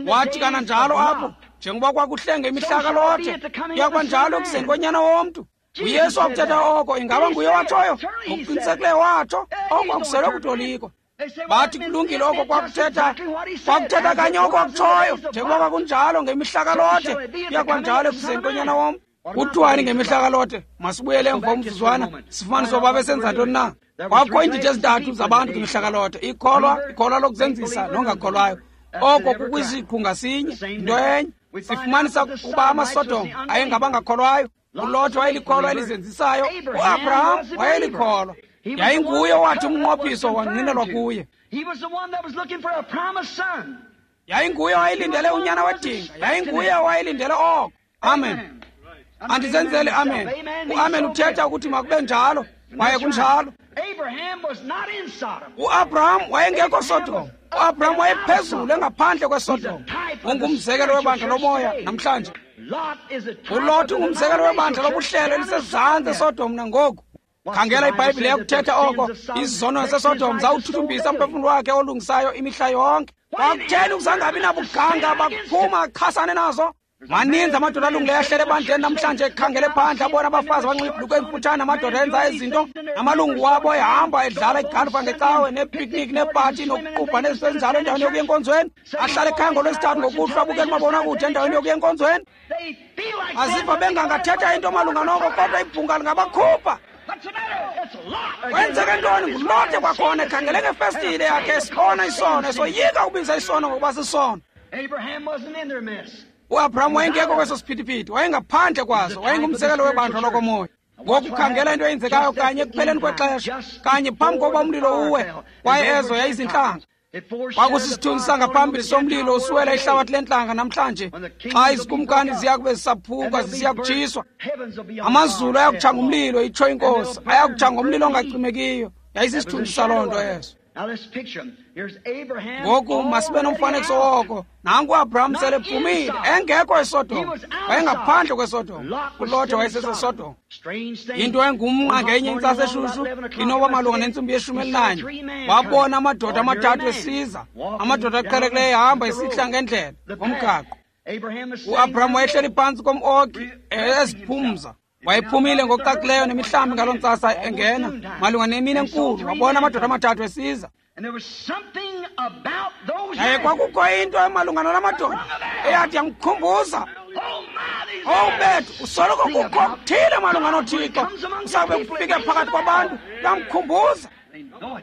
Wathi kananjalo apho, njengoba kwakuhlenge imihla kaLothe, kuya kuba njalo ekuzeni koNyana womntu. UYesu wakuthetha oko, ingaba nguye watshoyo? Ngokuqinisekileyo watsho, oko akuswele ukutolikwa. Bathi kulungile oko kwakuthetha kanye oko akutshoyo, njengoba kwakunjalo ngemihla kaLothe, kuya kuba njalo ekuzeni koNyana womntu. Kuthiwani ngemihla kaLothe? Masibuyele emva umzuzwana sifumanise uba babesenza ntoni na. Kwakukho iindidi ezintathu zabantu ngemihla kaLothe: ikholwa, ikholwa lokuzenzisa, nongakholwayo. Oko kukwisiqhu ngasinye, into enye. Sifumanisa ukuba amaSodom ayengabangakholwayo, uLothe wayelikholwa elizenzisayo, uAbraham wayelikholwa. Yayinguye owathi umnqophiso wangqinelwa kuye. Yayinguye owayelindele unyana wedinga. Yayinguye owayelindele oko. Amen. Andizenzeli amen. Uamen uthetha ukuthi makube njalo, kwaye kunjalo. UAbraham wayengekho Sodom. UAbraham wayephezulu engaphandle kweSodom. Ungumzekelo webandla lomoya namhlanje. ULot ungumzekelo webandla lobuhlelo elisezantsi eSodom nangoku. Khangela iBhayibhile yakuthetha oko. Izono zaseSodom zawuthuthumbisa umphefumlo wakhe olungisayo imihla yonke. Kwakutheni ukuzangabi nabuganga bakuphuma achasane nazo? Maninzi amadoda alungileyo ahlele ebandleni namhlanje ekhangele phandle abona abafazi abanxiba ibhulukhwe emfutshane, amadoda enza izinto, amalungu wabo ehamba edlala igalufa ngecawe neepikniki neepati nokuqubha nezinto ezinjalo endaweni yokuya enkonzweni. Ahlale ekhaya ngoLwesithathu ngokuhlwa abukele umabonakude endaweni yokuya enkonzweni. Aziva bengangathetha into malunga noko, kodwa ibhunga lingabakhupha. Kwenzeke ntoni? NguLote kwakhona ekhangele ngefestile yakhe esibona isono, esoyika ukubiza isono ngokuba sisono. UAbraham wayengekho kweso siphithiphithi, wayengaphandle kwaso, wayengumzekelo webandla lokomoya. Ngoku khangela into eyenzekayo kanye ekupheleni kwexesha, kanye phambi kokuba umlilo uwe, kwaye ezo yayizintlanga. Kwakusisithunzi sangaphambili somlilo usiwela ihlabathi lentlanga namhlanje, xa izikumkani ziya kube zisaphuka zisiya kutshiswa. Amazulu ayakutsha ngumlilo, itsho iNkosi, ayakutsha ngomlilo ongacimekiyo. Yayisisithunzi saloo nto eso. Ngoku masibe nomfanekiso woko. Nanku uAbraham sele ephumile, engekho eSodom, wayengaphandle kweSodom. ULote wayeseseSodom. Into engumnqa ngenye intsasa eshushu inoba malunga nentsimbi ye-11, wabona amadoda amathathu esiza, amadoda aqhelekileyo ehamba esihla ngendlela ngomgaqo. UAbraham wayehleli phantsi kom-oki eziphumza. Wayephumile ngokucacileyo nemihlambi ngaloo ntsasa engena malunga nemini enkulu, wabona amadoda amathathu esiza. Yaye kwakukho into emalunga nala madoda eyathi yamkhumbuza, owu bethu, usoloko kukho okuthile malunga noThixo kusawube kufike phakathi kwabantu, yamkhumbuza.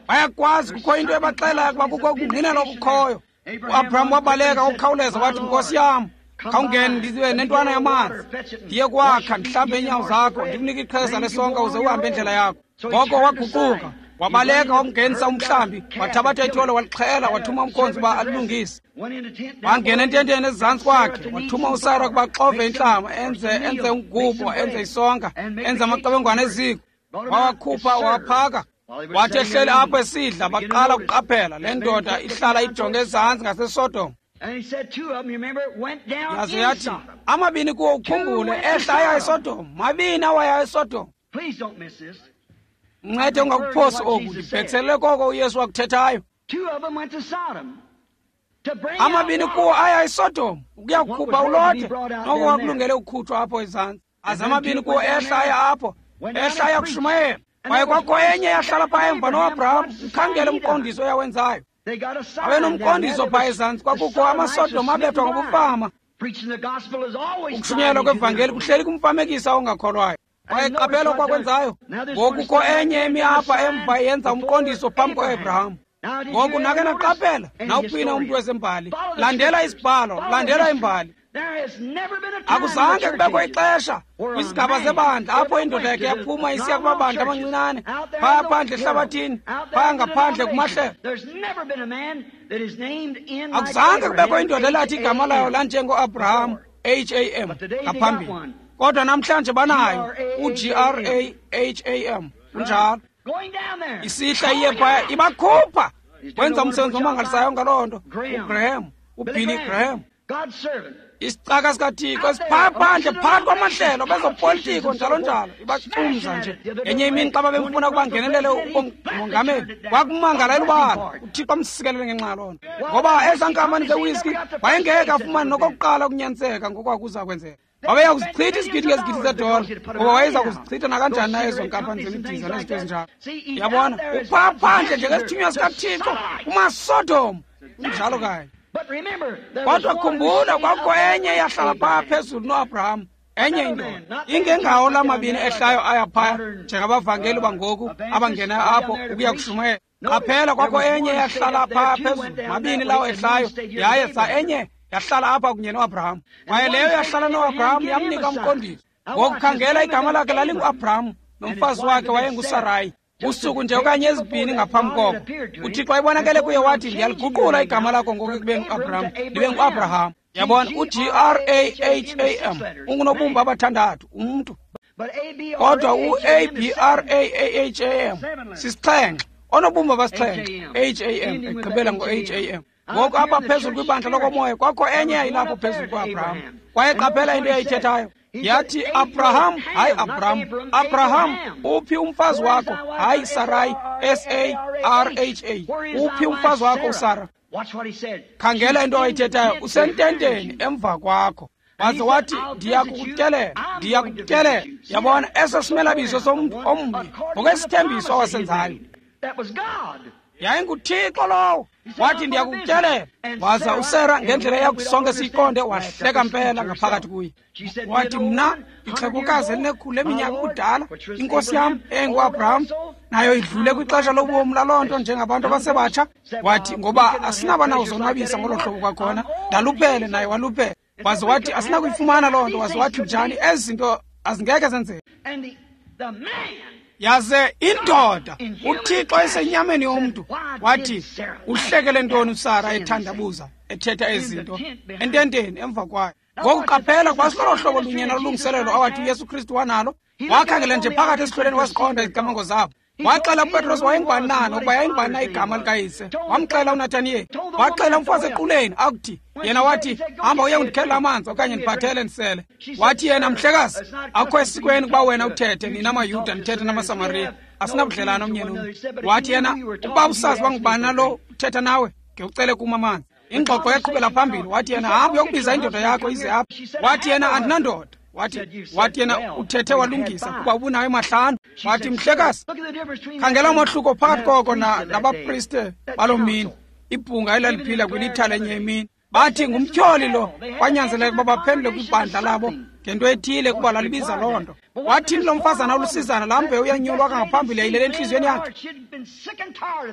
Bayakwazi kukho into ebaxelayo ukuba kukho ukungqinela okukhoyo. UAbraham wabaleka ngokukhawuleza wathi, Nkosi yam, khawungene ndibe nentwana yamanzi, ndiye kwakha, ndihlambe iinyawo zakho, ndikunike iqheza lesonka uze uhambe indlela yakho. Ngoko waguquka, wabaleka wamngenisa umhlambi, wathabatha ithole walixhela, wathuma umkhonzi uba alilungise. Wangena ententeni ezantsi kwakhe, wathuma uSara ukuba axove intlama, enze umgubo, enze isonka, enze amaqebengwana eziko. Wawakhupha wawaphaka. Wathi ehleli apho esidla, baqala ukuqaphela le ndoda ihlala ijonge ezantsi ngaseSodom. Yaze yathi, amabini kuwo ukhumbule, ehla aya eSodom, mabini awaya eSodom. Ncede ungakuphosi oku, ndibhekiselele koko uYesu wakuthethayo. Amabini kuwo aya eSodom ukuya kukhupha uLote, noko wakulungele ukukhutshwa apho ezantsi. Aze amabini kuwo ehla aya apho, ehla aya kushumayela. Kwaye kwakho enye yahlala phaa emva noAbraham, ukhangele umqondiso oyawenzayo. Abe nomqondiso phaa ezantsi, kwakukho amaSodom abethwa ngobufama. Ukushunyayelwa kwevangeli kuhleli kumfamekisa ongakholwayo. Kwaye qaphela okwakwenzayo. Ngoku kukho enye emi apha emva yenza umqondiso phambi koAbraham. Ngoku nake naqaphela, nawuphina umntu wezembali, landela isibhalo, landela imbali. Akuzange kubekho ixesha kwizigaba zebandla apho indoda yakhe yaphuma isiya kumabandla amancinane, phaya phandle ehlabathini, phaya ngaphandle kumahlelo. Akuzange kubekho indoda elathi igama layo lanjengoAbraham, H-A-M, ngaphambili. Kodwa namhlanje banayo u-G-R-A-H-A-M, kunjalo. Isihla iye phaya ibakhupha. Wenza umsebenzi omangalisayo ngaloo nto. uGraham, uBilly Graham, isicaka sikaThixo esiphaya phandle phakathi kwamahlelo bezopolitiko njalo njalo, ibacumza nje. Ngenye imini xa babemfuna ukuba ngenelele umongameli, kwakumangala elubala. uThixo amsikelele ngenxa yaloo nto, ngoba ezaa nkampani zewiski wayengeke afumane nokokuqala ukunyaniseka ngokwakuza kwenzeka. Wabeya kuzichitha izigidi ngezigidi zedola, ngoba wayeza kuzichitha nakanjani na ezo nkampani zemidiza nezinto ezinjalo. Yabona, uphaa phandle njengesithunywa sikaThixo kumaSodom, kunjalo kanye. Kodwa khumbula, kwakukho enye eyahlala phaa phezulu noAbraham, enye indoda ingengawo la mabini ehlayo aya phaya njengabavangeli bangoku abangenayo apho ukuya kushumayela. Qaphela, kwakho enye eyahlala phaa phezulu, mabini lawo ehlayo, yaye sa enye yahlala apha kunye noAbraham. Kwaye leyo yahlala noAbraham yamnika umqondiso. Ngokukhangela, igama lakhe lalinguAbraham, nomfazi wakhe wayenguSarayi. Usuku nje okanye ezibini ngaphambi koko, uThixo wayebonakele kuye wathi, ndiyaliguqula igama lakho ngoku ekubeni nguAbraham libe nguAbraham. Yabona, u-G-R-A-H-A-M ungunobumba abathandathu umntu, kodwa u-A-B-R-A-A-H-A-M sisixhenxe, onobumba abasixhenxe, H-A-M egqibela ngo-H-A-M. Ngoku apha phezulu kwibandla lokomoya kwakho enye yayilapho phezulu kuAbraham. Kwaye qaphela into eyayithethayo. Yathi, Abraham, hayi Abraham, Abraham, uphi umfazi wakho? Hayi Sarai, S-A-R-H-A, uphi umfazi wakho uSara? Khangela into ayithethayo, usententeni emva kwakho. Waze wathi, ndiyakukutyelela, ndiyakukutyelela. Yabona, eso simelabizo somntu omnye ngokwesithembiso awasenzayo. YayinguThixo lowo. Wathi, ndiyakukutyelela. Waza uSara ngendlela eyakuthi sonke siyiqonde wahleka mpela ngaphakathi kuye. Wathi, mna ixhegokazi elinekhulu leminyaka ubudala, inkosi yam enguAbraham nayo idlule kwixesha lobomi laloo nto njengabantu abasebatsha. Wathi, ngoba asinaba nawuzonwabisa ngolo hlobo kwakhona, ndaluphele naye waluphele. Waze wathi, asinakuyifumana loo nto. Waze wathi, njani ezi zinto azingeke zenzeke. Yaze indoda uThixo esenyameni yomntu wathi, uhlekele ntoni uSara ethandabuza ethetha ezinto ententeni emva kwayo. Ngoku qaphela kwasilolo hlobo lunye nolungiselelo awathi uYesu Kristu wanalo. Wakhangela nje phakathi esihlweleni waziqonda izicamango zabo. Waxela uPetros wayengubani na nokuba yayingubani na igama likayise. Wamxela uNathaniyeli. Waxela umfazi equleni akuthi yena wathi, hamba uye undikhelela amanzi okanye ndiphathele ndisele. Wathi yena, mhlekazi, akukho esikweni ukuba wena uthethe, nina maYuda nithethe namaSamariya, asinabudlelane omnye nomnye. Wathi yena, ukuba usazi bangubani na lo uthetha nawe, ngewucele kum amanzi. Ingxoxo yaqhubela phambili. Wathi yena, hamba uyokubiza indoda yakho ize apha. Wathi yena, andinandoda. Wathi yena, uthethe walungisa kuba ubunayo mahlanu. Wathi, mhlekazi, khangela umohluko phakathi koko nabapriste baloo mini, ibhunga elaliphila kwilitha lenye imini. Bathi ngumtyholi lo. Kwanyanzeleka ukuba baphendule kwibandla labo ngento ethile kuba lalibiza loo nto. Wathini lo mfazana olusizana, laa mbewu yanyulwa kangaphambili yayilele entliziyweni yakhe.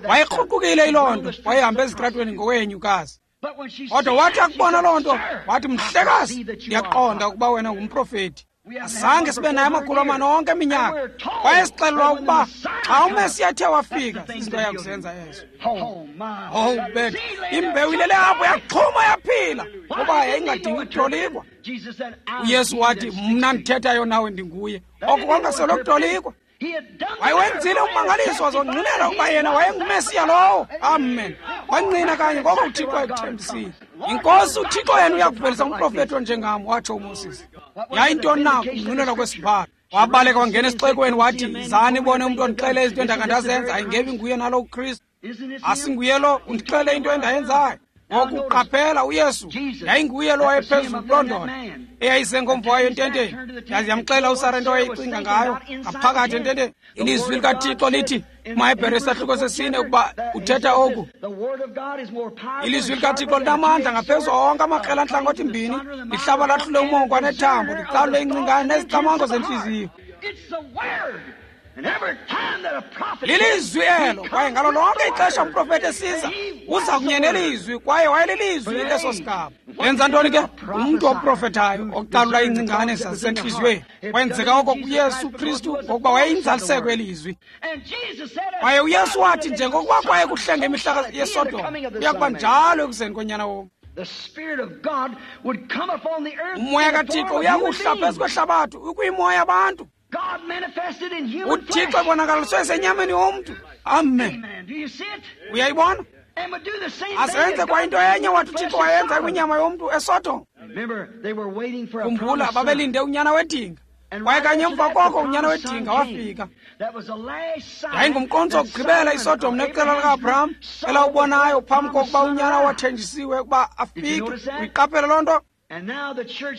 Wayekruqukile yiloo nto, wayehamba ezitratweni ngowenyukazi. Kodwa wathi akubona loo nto, wathi, mhlekazi, ndiyaqonda ukuba wena ngumprofeti. Azange sibe naye amakhulu amane onke eminyaka. Kwaye sixelelwa ukuba xa uMesiya ethe wafika, izinto ayakuzenza ezo. Oh, bethu, imbewu ilele apho yaxhuma yaphila, ngoba yayingadingi ukutolikwa. uYesu wathi, mna ndithethayo nawe ndinguye. Oko kwangasele ukutolikwa. Wayewenzile ummangaliso wazongqinela ukuba yena wayenguMesiya lowo. Amen. Wangqina kanye ngoko uThixo wayekuthembisile. INkosi uThixo yena uyakuvelisa umprofeti onjengam, watsho uMoses. Yayintoni na ukungqinelwa kwesibhalo? Wabaleka wangena esixekweni wathi, zani ibone umntu ondixele izinto endakandazenza, ayingebi nguye nalo uKristu. Asinguye lo undixele into endayenzayo. Ngoku qaphela uYesu yayinguye lo wayephezulu kuloo ndoda eyayisengomva wayo ententeni. Yaze yamxela uSara into awayeyicinga ngayo ngaphakathi ententeni. Ilizwi likaThixo lithi kumaHebhere isahluko sesine ukuba uthetha oku. Ilizwi likaThixo linamandla ngaphezu onke amakrela antlangothi mbini, lihlaba lahlule umongo nethambo, licalule ingcingane nezicamango zentliziyo. Lilizwi elo, kwaye ngalo lonke ixesha umprofeti esiza uza kunye nelizwi, kwaye wayelilizwi leso sigaba. Wenza ntoni ke umntu oprofethayo ocalula iingcingane zasentliziyweni? Kwenzeka oko kuYesu Kristu ngokuba wayeyinzaliseko elizwi. Kwaye uYesu wathi, njengokuba kwaye kuhle ngemihla yeSodom, kuya kuba njalo ekuzeni koNyana womntu. Umoya kaThixo uyakuhla phezu kwehlabathi ukwimoya abantu. uThixo ebonakaliswe esenyameni yomntu. Amen. Uyayibona? Azenze kwa into enye wathi uThixo wayenza kwinyama yomntu eSodom. Khumbula, babelinde unyana wedinga. Kwaye kanye emva koko unyana wedinga wafika. Yayingumqondiso wokugqibela iSodom neqela lika-Abraham elawubonayo phambi kokuba unyana wathenjisiwe ukuba afike. Uyiqaphele loo nto?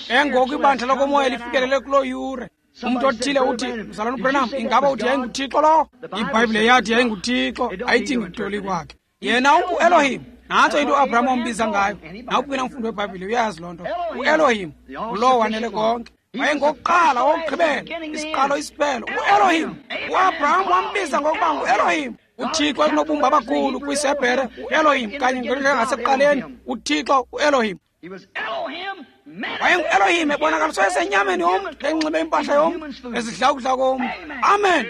Engoku ibandla lokomoya lifikelele kuloo yure. Umntu othile uthi, mzalwana uBranham, ingaba uthi yayinguThixo lowo? IBhayibhile yathi yayinguThixo, ayidingi kutoli kwakhe. Yena unguElohim. Nantso into uAbraham wambiza ngayo. Nawuphi na umfundi weBhayibhile uyazi loo nto. UElohim ngulowo wanele konke. Wayengokuqala, wokugqibela, isiqalo, isiphelo. UElohim. UAbraham wambiza ngokuba nguElohim. uThixo ekunobumba abakhulu kwisebhere, uElohim, kanye njengasekuqaleni, uThixo uElohim. WayenguElohim ebonakaliswe esenyameni yomntu, enxibe impahla yomntu, ezidla ukudla komntu. Amen.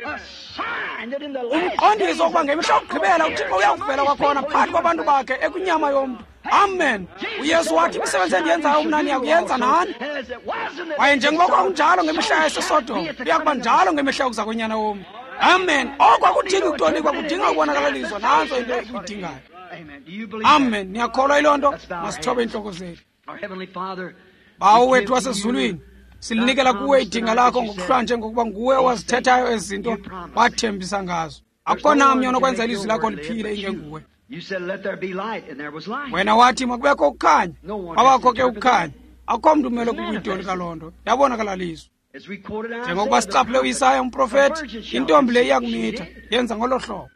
Umqondiso wokuba ngemihla yokugqibela uThixo uyakuvela kwakhona phakathi kwabantu bakhe ekwinyama yomntu. Amen. uYesu wathi, imisebenzi endiyenzayo mna niyakuyenza nani. Kwaye njengoba kwakunjalo ngemihla yaseSodom, kuya kuba njalo ngemihla yokuza konyana womntu. Amen. Oko akudingi kutolikwa, kudinga ukubonakalaliswa. Nantso into ekuyidingayo. Amen. Niyakholwa yiloo nto? Masithobe iintloko zethu. Bawo wethu wasezulwini, silinikela kuwe idinga lakho ngokuhlwa njengokuba nguwe owazithethayo ezi zinto wathembisa ngazo. Akukho namnye onokwenza ilizwi lakho liphile ingenguwe. Wena wathi makubekho ukukhanya, kwabakho ke ukukhanya. Akukho mntu umele kukuyitolika loo nto. Yabonakalaliswa. Njengokuba sicaphule uIsaya umprofethi, intombi le iyakumitha, yenza ngolo hlobo.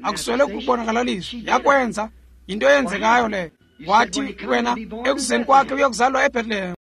Akuswele kubonakalaliswa, yakwenza. Yinto eyenzekayo leyo. Wathi wena ekuzeni kwakhe uyakuzalwa eBethlehem.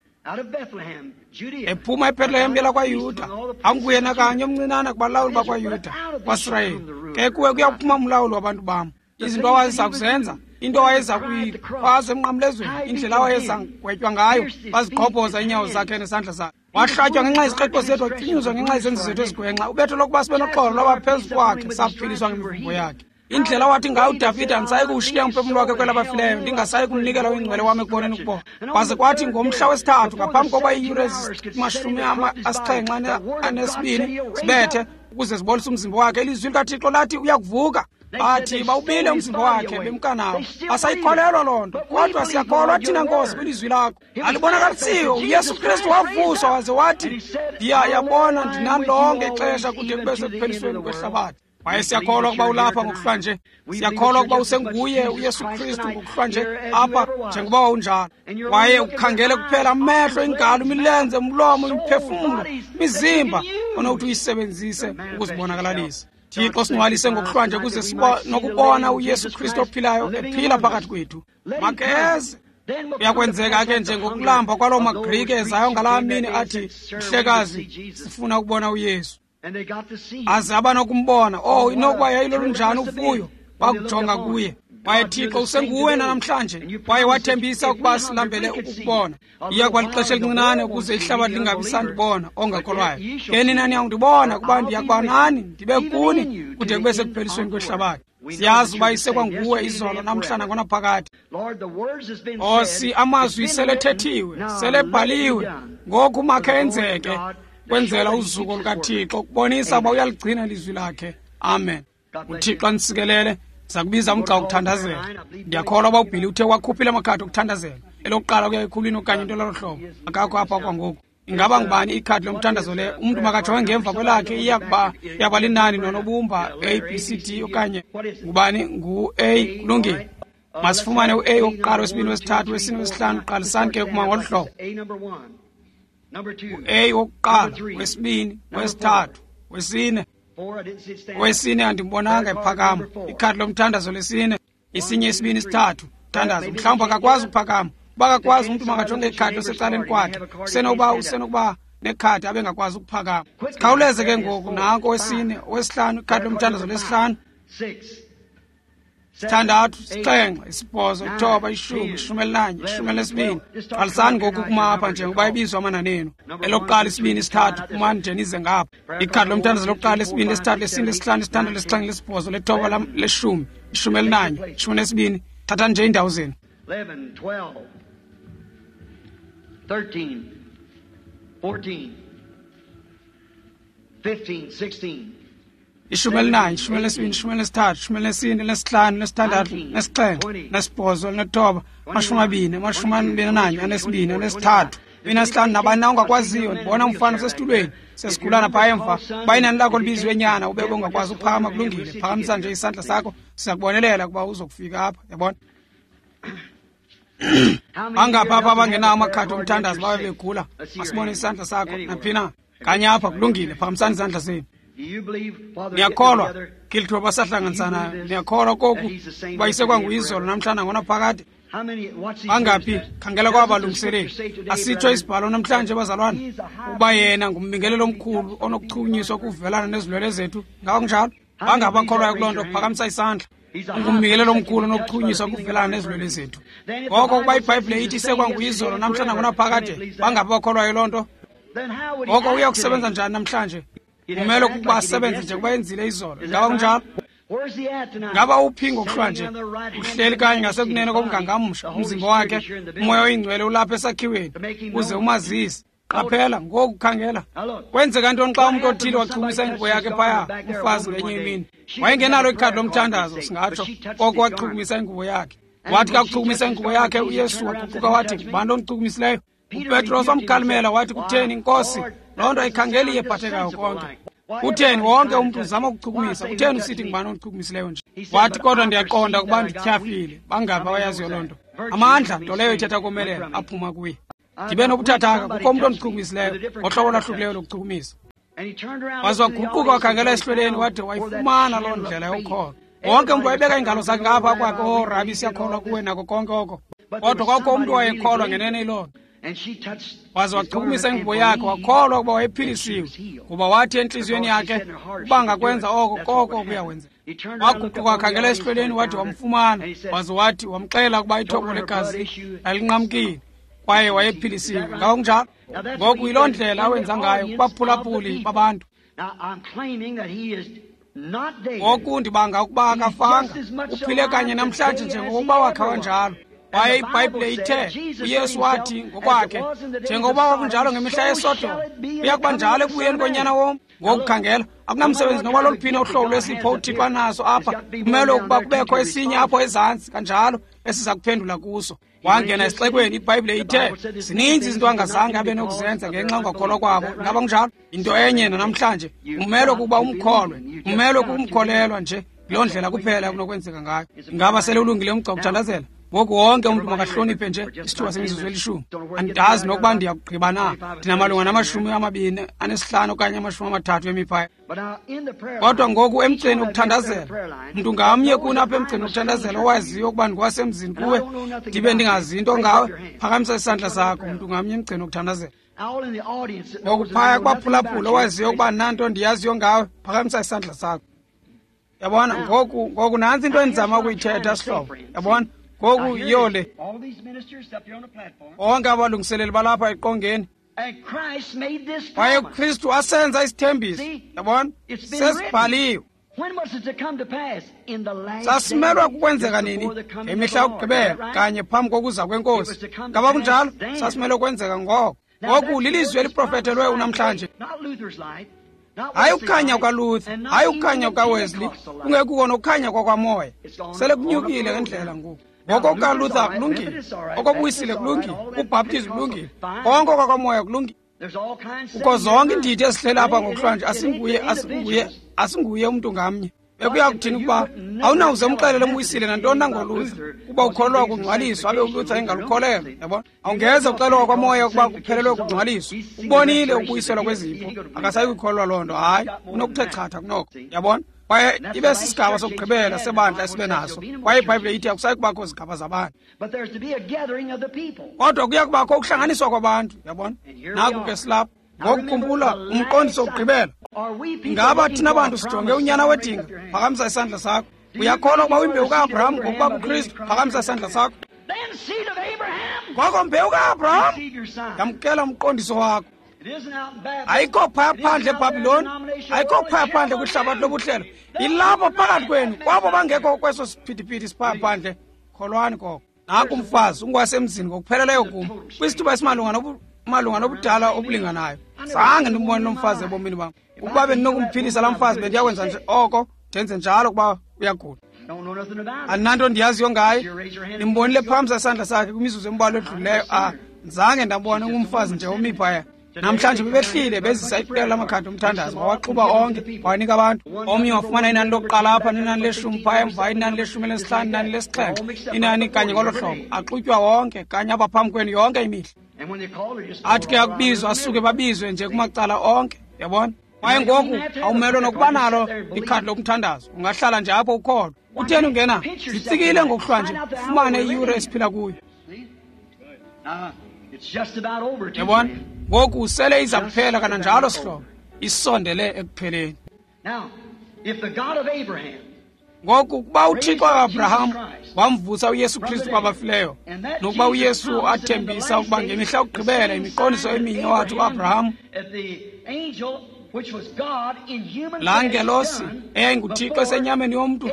Ephuma eBethlehem yelakwaYuda, anguyena kanye omncinane kubalawuli bakwaYuda, kwaSirayeli. Ke kuwe kuyakuphuma umlawuli wabantu bam. Izinto awayeza kuzenza, into awayeza kuyikhwaza emnqamlezweni, indlela awayeza gwetywa ngayo, bazigqobhoza iinyawo zakhe nesandla sakhe. Wahlatywa ngenxa yezikreqo zethu, watyunyuzwa ngenxa yezenzo zethu ezigwenxa. Ubetho lokuba sibe noxolo lwaba phezu kwakhe, saphiliswa ngemivumbo yakhe. Indlela wathi ngayo uDavide, andisayi kuwushiya umphefumlo wakhe kwelabafileyo, ndingasayi kumnikela oyingcwele wam ekuboneni ukubola. Kwaze kwathi ngomhla wesithathu, ngaphambi kokuba iiyure ezimashumi 72 zibethe ukuze zibolise umzimba wakhe, ilizwi likaThixo lathi uyakuvuka. Bathi bawubile umzimba wakhe bemka nawo. Asayikholelwa loo nto, kodwa siyakholwa thina, Nkosi, kwilizwi lakho. Alibonakalisiwe, uYesu Kristu wavuswa waze wathi, ndiyayabona ndinani lonke ixesha kude kube sekuphelisweni kwehlabathi. Kwaye siyakholwa ukuba ulapha ngokuhlwa nje. Siyakholwa ukuba usenguye uYesu Kristu ngokuhlwa nje apha njengoba wawunjalo. Kwaye ukhangele kuphela amehlo, ingalo, imilenze, umlomo, imiphefumlo, imizimba onokuthi uyisebenzise ukuzibonakalalisa. Thixo, singcwalise ngokuhlwa nje ukuze nokubona uYesu Kristu ophilayo ephila phakathi kwethu. Makeze. Uyakwenzeka ke njengokulamba kwaloo maGrike ezayo ngalaa mini athi, mhlekazi, sifuna ukubona uYesu. Aze abanokumbona. Oh, inokuba yayilolunjani uvuyo bakujonga kuye. Kwaye Thixo usenguwe namhlanje, kwaye wathembisa ukuba silambele ukukubona. Iya kwalixesha elincinane ukuze ihlabathi lingabi sandibona ongakholwayo. Ke nina niyakundibona, kuba ndiyakuba nani, ndibe kuni kude kube sekuphelisweni kwehlabathi. Siyazi uba isekwanguwe izolo, namhla, nangonaphakade. Nkosi, amazwi selethethiwe, selebhaliwe, ngoku makhe enzeke kwenzela uzuko lukaThixo, ukubonisa uba uyaligcina ilizwi lakhe. Amen. UThixo anisikelele. Siza kubiza umgca wokuthandazela. Ndiyakholwa uba uBhili uthe wakhuphile amakhadi okuthandazela, elokuqala kuya ekhulwini okanye into lolo hlobo. Akakho apha kwangoku. Ingaba ngubani ikhadi lomthandazo le? Umntu makajonge ngemva kwelakhe, iyakuba linani nonobumba A, B, C, D okanye ngubani? Ngu-A. Kulungile. Masifumane u-A wokuqala, wesibini, wesithathu, wesine, wesihlanu. Qalisani ke kuma ngolu hlobo. U-A wokuqala, wesibini, wesithathu, wesine. Owesine andimbonanga ephakama. Ikhadi lomthandazo lesine, isinye, isibini, isithathu. Thandazo. Mhlawumbi akakwazi ukuphakama. Uba akakwazi, umntu makajonge ikhadi osecaleni kwakhe. Usenokuba nekhadi abengakwazi ukuphakama. Sikhawuleze ke ngoku, nanko owesine, owesihlanu, ikhadi lomthandazo lesihlanu. 6, 7, 8, 9, 10, 11, 12. Qalisani ngoku kuma apha njengoba ibizwa amanani enu. Elokuqala, isibini, isithathu, phumani nje nize ngapha. Ikhadi lomthandazo lokuqala, isibini, lesithathu, lesine, lesihlanu, isithandathu, lesixhenxe, lesibhozo, lethoba, leshumi, 11, 12. Thathani nje iindawo zenu.
11, 12, 13, 14, 15, 16.
11, 12, 13, 14, 15, 6, 7, 8, 20, 21, 22, 23, 25. Nabani na ungakwaziyo? Ndibona umfana osesitulweni sesigulana phaa emva. Uba inani lakho libizwe nyana ube ungakwazi ukuphakama, kulungile, phakamisa nje isandla sakho, siza kubonelela ukuba uzokufika apha. Yabona? Bangaphi apha abangenawo amakhadi omthandazo babe begula? Masibone isandla sakho naphi na. Kanye apha, kulungile, phakamisani izandla zenu. Niyakholwa ngeli thuba basahlanganisanayo? Niyakholwa koku uba isekwanguyizolo, namhlanje, nangonaphakade? Bangaphi? Khangela kwabalungiseleli. Asitsho isibhalo namhlanje, bazalwane, uba yena ngumbingelelo omkhulu onokuchunyiswa kuvelana nezilwele zethu? Ngaba kunjalo? Bangaphi abakholwayo kuloo nto? Phakamisa isandla. Ungumbingelelo omkhulu onokuchunyiswa kuvelana nezilwele zethu. Ngoko ukuba iBhayibhile ithi isekwanguyizolo, namhlanje, nangonaphakade, bangaphi abakholwayo loo nto? Ngoko uya kusebenza njani namhlanje? Kumele ukuba asebenze njengoba yenzile izolo. Ngaba kunjalo? Ngaba uphi ngokuhlwa nje? Uhleli kanye ngasekunene komngangamsha, umzimba wakhe, uMoya oyiNgcwele ulapha esakhiweni uze umazise. Qaphela ngoku, khangela. Kwenzeka ntoni xa umntu othile wachumisa ingubo yakhe phaya? Umfazi ngenye imini wayengenalo ikhadi lomthandazo, singatsho, koko wachukumisa ingubo yakhe. Wathi kakuchukumisa ingubo yakhe, uYesu waguquka wathi, ngubani ondichukumisileyo? UPetros wamkhalimela wathi, kutheni, Nkosi, loo nto ayikhangeli iyephathekayo konke. Kutheni, wonke umntu uzama ukuchukumisa. Kutheni usithi ngubani ondichukumisileyo nje? Wathi, kodwa ndiyaqonda ukuba ndityhafile. Bangaphi abayaziyo loo nto? Amandla, nto leyo ithetha komelela, aphuma kuye. Ndibe nobuthathaka, kukho umntu ondichukumisileyo ngohlobo olwahlukileyo lokuchukumisa. Waze waguquka wakhangela esihlweleni wade wayifumana loo ndlela yokholo. Wonke umntu wayebeka iingalo zakhe ngapha kwakhe, "Oh Rabi, siyakholwa kuwe," nako konke oko. Kodwa kwakho umntu wayekholwa ngenene iloo nto. Waze wachukumisa ingubo yakhe, wakholwa ukuba wayephilisiwe, kuba wathi entliziyweni yakhe uba ngakwenza oko, koko kuyawenzeka. Waguquka wakhangela esihlweleni wathi wamfumana, waze wathi wamxelela ukuba ithombo legazi lalinqamkile kwaye wayephilisiwe. Ngako kunjalo. Ngoku yiloo ndlela awenza ngayo kubaphulaphuli babantu. Ngoku ndibanga ukuba akafanga, uphile kanye namhlanje njengokuba wakha wanjalo. Kwaye iBhayibhile ithe uYesu wathi ngokwakhe, njengokuba kwakunjalo ngemihla yeSodom, kuya kuba njalo ekubuyeni koNyana womntu. Ngokukhangela, akunamsebenzi noba loluphina uhlobo lwesipho uThixo anaso apha, kumele ukuba kubekho esinye apho ezantsi kanjalo esiza kuphendula kuso. Wangena esixekweni, iBhayibhile ithe zininzi izinto angazange abe nokuzenza ngenxa yongakholwa kwabo. Ingaba kunjalo? Into enye nanamhlanje, umelwe kukuba umkholwe, umelwe kukumkholelwa nje. Yiloo ndlela kuphela kunokwenzeka ngayo. Ingaba sele ulungile umgca wokuthandazela? Ngoku wonke umntu makahloniphe nje isithuba semizuzu elishumi. Andazi nokuba ndiyakugqiba na. Ndinamalunga nama-25 okanye 30 emiphaya. Kodwa ngoku emgceni wokuthandazela, mntu ngamnye kuni apha emgceni wokuthandazela owaziyo ukuba ndikwasemzini kuwe, ndibe ndingazi into ngawe, phakamisa isandla sakho, mntu ngamnye emgceni wokuthandazela. Ngoku phaya kubaphulaphula owaziyo ukuba nanto ndiyaziyo ngawe, phakamisa isandla sakho. Yabona, ngoku nantsi into endizama ukuyithetha, sihlobo. Yabona? Ngoku yiyo le. Bonke abalungiseleli balapha eqongeni. Kwaye uKristu asenza isithembiso. Yabona? Sesibhaliwe. Sasimelwa kukwenzeka nini? Ngemihla yokugqibela, kanye phambi kokuza kweNkosi. Ngaba kunjalo? Sasimelwe kwenzeka ngoko. Ngoku lilizwi eliprofethelwe unamhlanje. Hayi ukukhanya kukaLuther, hayi ukukhanya kukaWesley, kungekuko nokukhanya kwakwamoya. Sele kunyukile ngendlela ngoku. Ngoko kukaLuther kulungile, okoBuyisile kulungile, uBhaptizi kulungile, konke okwakwamoya kulungile. Kukho zonke iindidi ezihleli apha ngokuhlwanje, asinguye umntu ngamnye. Bekuya kuthini ukuba awunawuze umxelele umBuyisile nantoni na ngoLuther, kuba ukholelwa kungcwaliswa abe uLuther engalukholelwa. Yabona, awungeze uxelelwa kwamoya ukuba kuphelelwe kungcwaliswa. Ubonile ukubuyiselwa kwezipho, akasayi kuyikholelwa loo nto. Hayi, unokuthe chatha kunoko. Yabona, kwaye ibe sisigaba sokugqibela sebandla esibe naso. Kwaye iBhayibhile ithi akusayi kubakho zigaba zabantu, kodwa kuya kubakho ukuhlanganiswa kwabantu. Yabona, naku ke silapha. Ngokukhumbula umqondiso wokugqibela. Ngaba thina bantu sijonge unyana wedinga? Phakamisa isandla sakho. Uyakholwa ukuba uyimbewu ka-Abraham ngokuba kuKristu? Phakamisa isandla sakho. Ngoko mbewu ka-Abraham, yamkela umqondiso wakho. Ayikho phaya phandle eBhabhiloni, ayikho phaya phandle kwihlabathi lobuhlelo. Ilapho phakathi kwenu, kwabo bangekho kweso siphithiphithi siphaya phandle. Kholwani koko. Nanku umfazi ungwasemzini ngokupheleleyo kum, kwisithuba esimalunga nobudala obulinganayo. Zange ndimbone lo mfazi ebomini bam. Ukuba bendinokumphilisa laa mfazi, bendiyakwenza nje oko, ndenze njalo kuba uyagula. Andinanto ndiyaziyo ngaye. Ndimbonile phambi isandla sakhe kwimizuzu embalwa edlulileyo. Zange ndambona, ungumfazi nje omi phaya. Namhlanje bebehlile bezisa iqela lamakhadi omthandazo, wawaxuba onke wanika abantu. Omnye wafumana inani lokuqala apha, nenani leshumi phaya emva, inani leshumi elineshlanu, inani lesixhenxe, inani kanye ngolo hlobo. Axutywa wonke kanye apha phambi kwenu yonke imihla. Athi ke akubizwa, asuke babizwe nje kumacala onke. Yabona? Kwaye ngoku awumelwe nokuba nalo ikhadi lomthandazo, ungahlala nje apho ukholwa. Utheni ungena? Zitsikile ngokuhlwa nje, ufumane iyure esiphila kuyo. Yabona? Ngoku sele iza kuphela kananjalo, sihlobo, isondele ekupheleni. Ngoku kuba uThixo ka-Abraham wamvusa uYesu Kristu kwabafileyo, nokuba uYesu athembisa ukuba ngemihla yokugqibela imiqondiso eminye wathi uAbraham, laa ngelosi eyayinguThixo esenyameni yomntu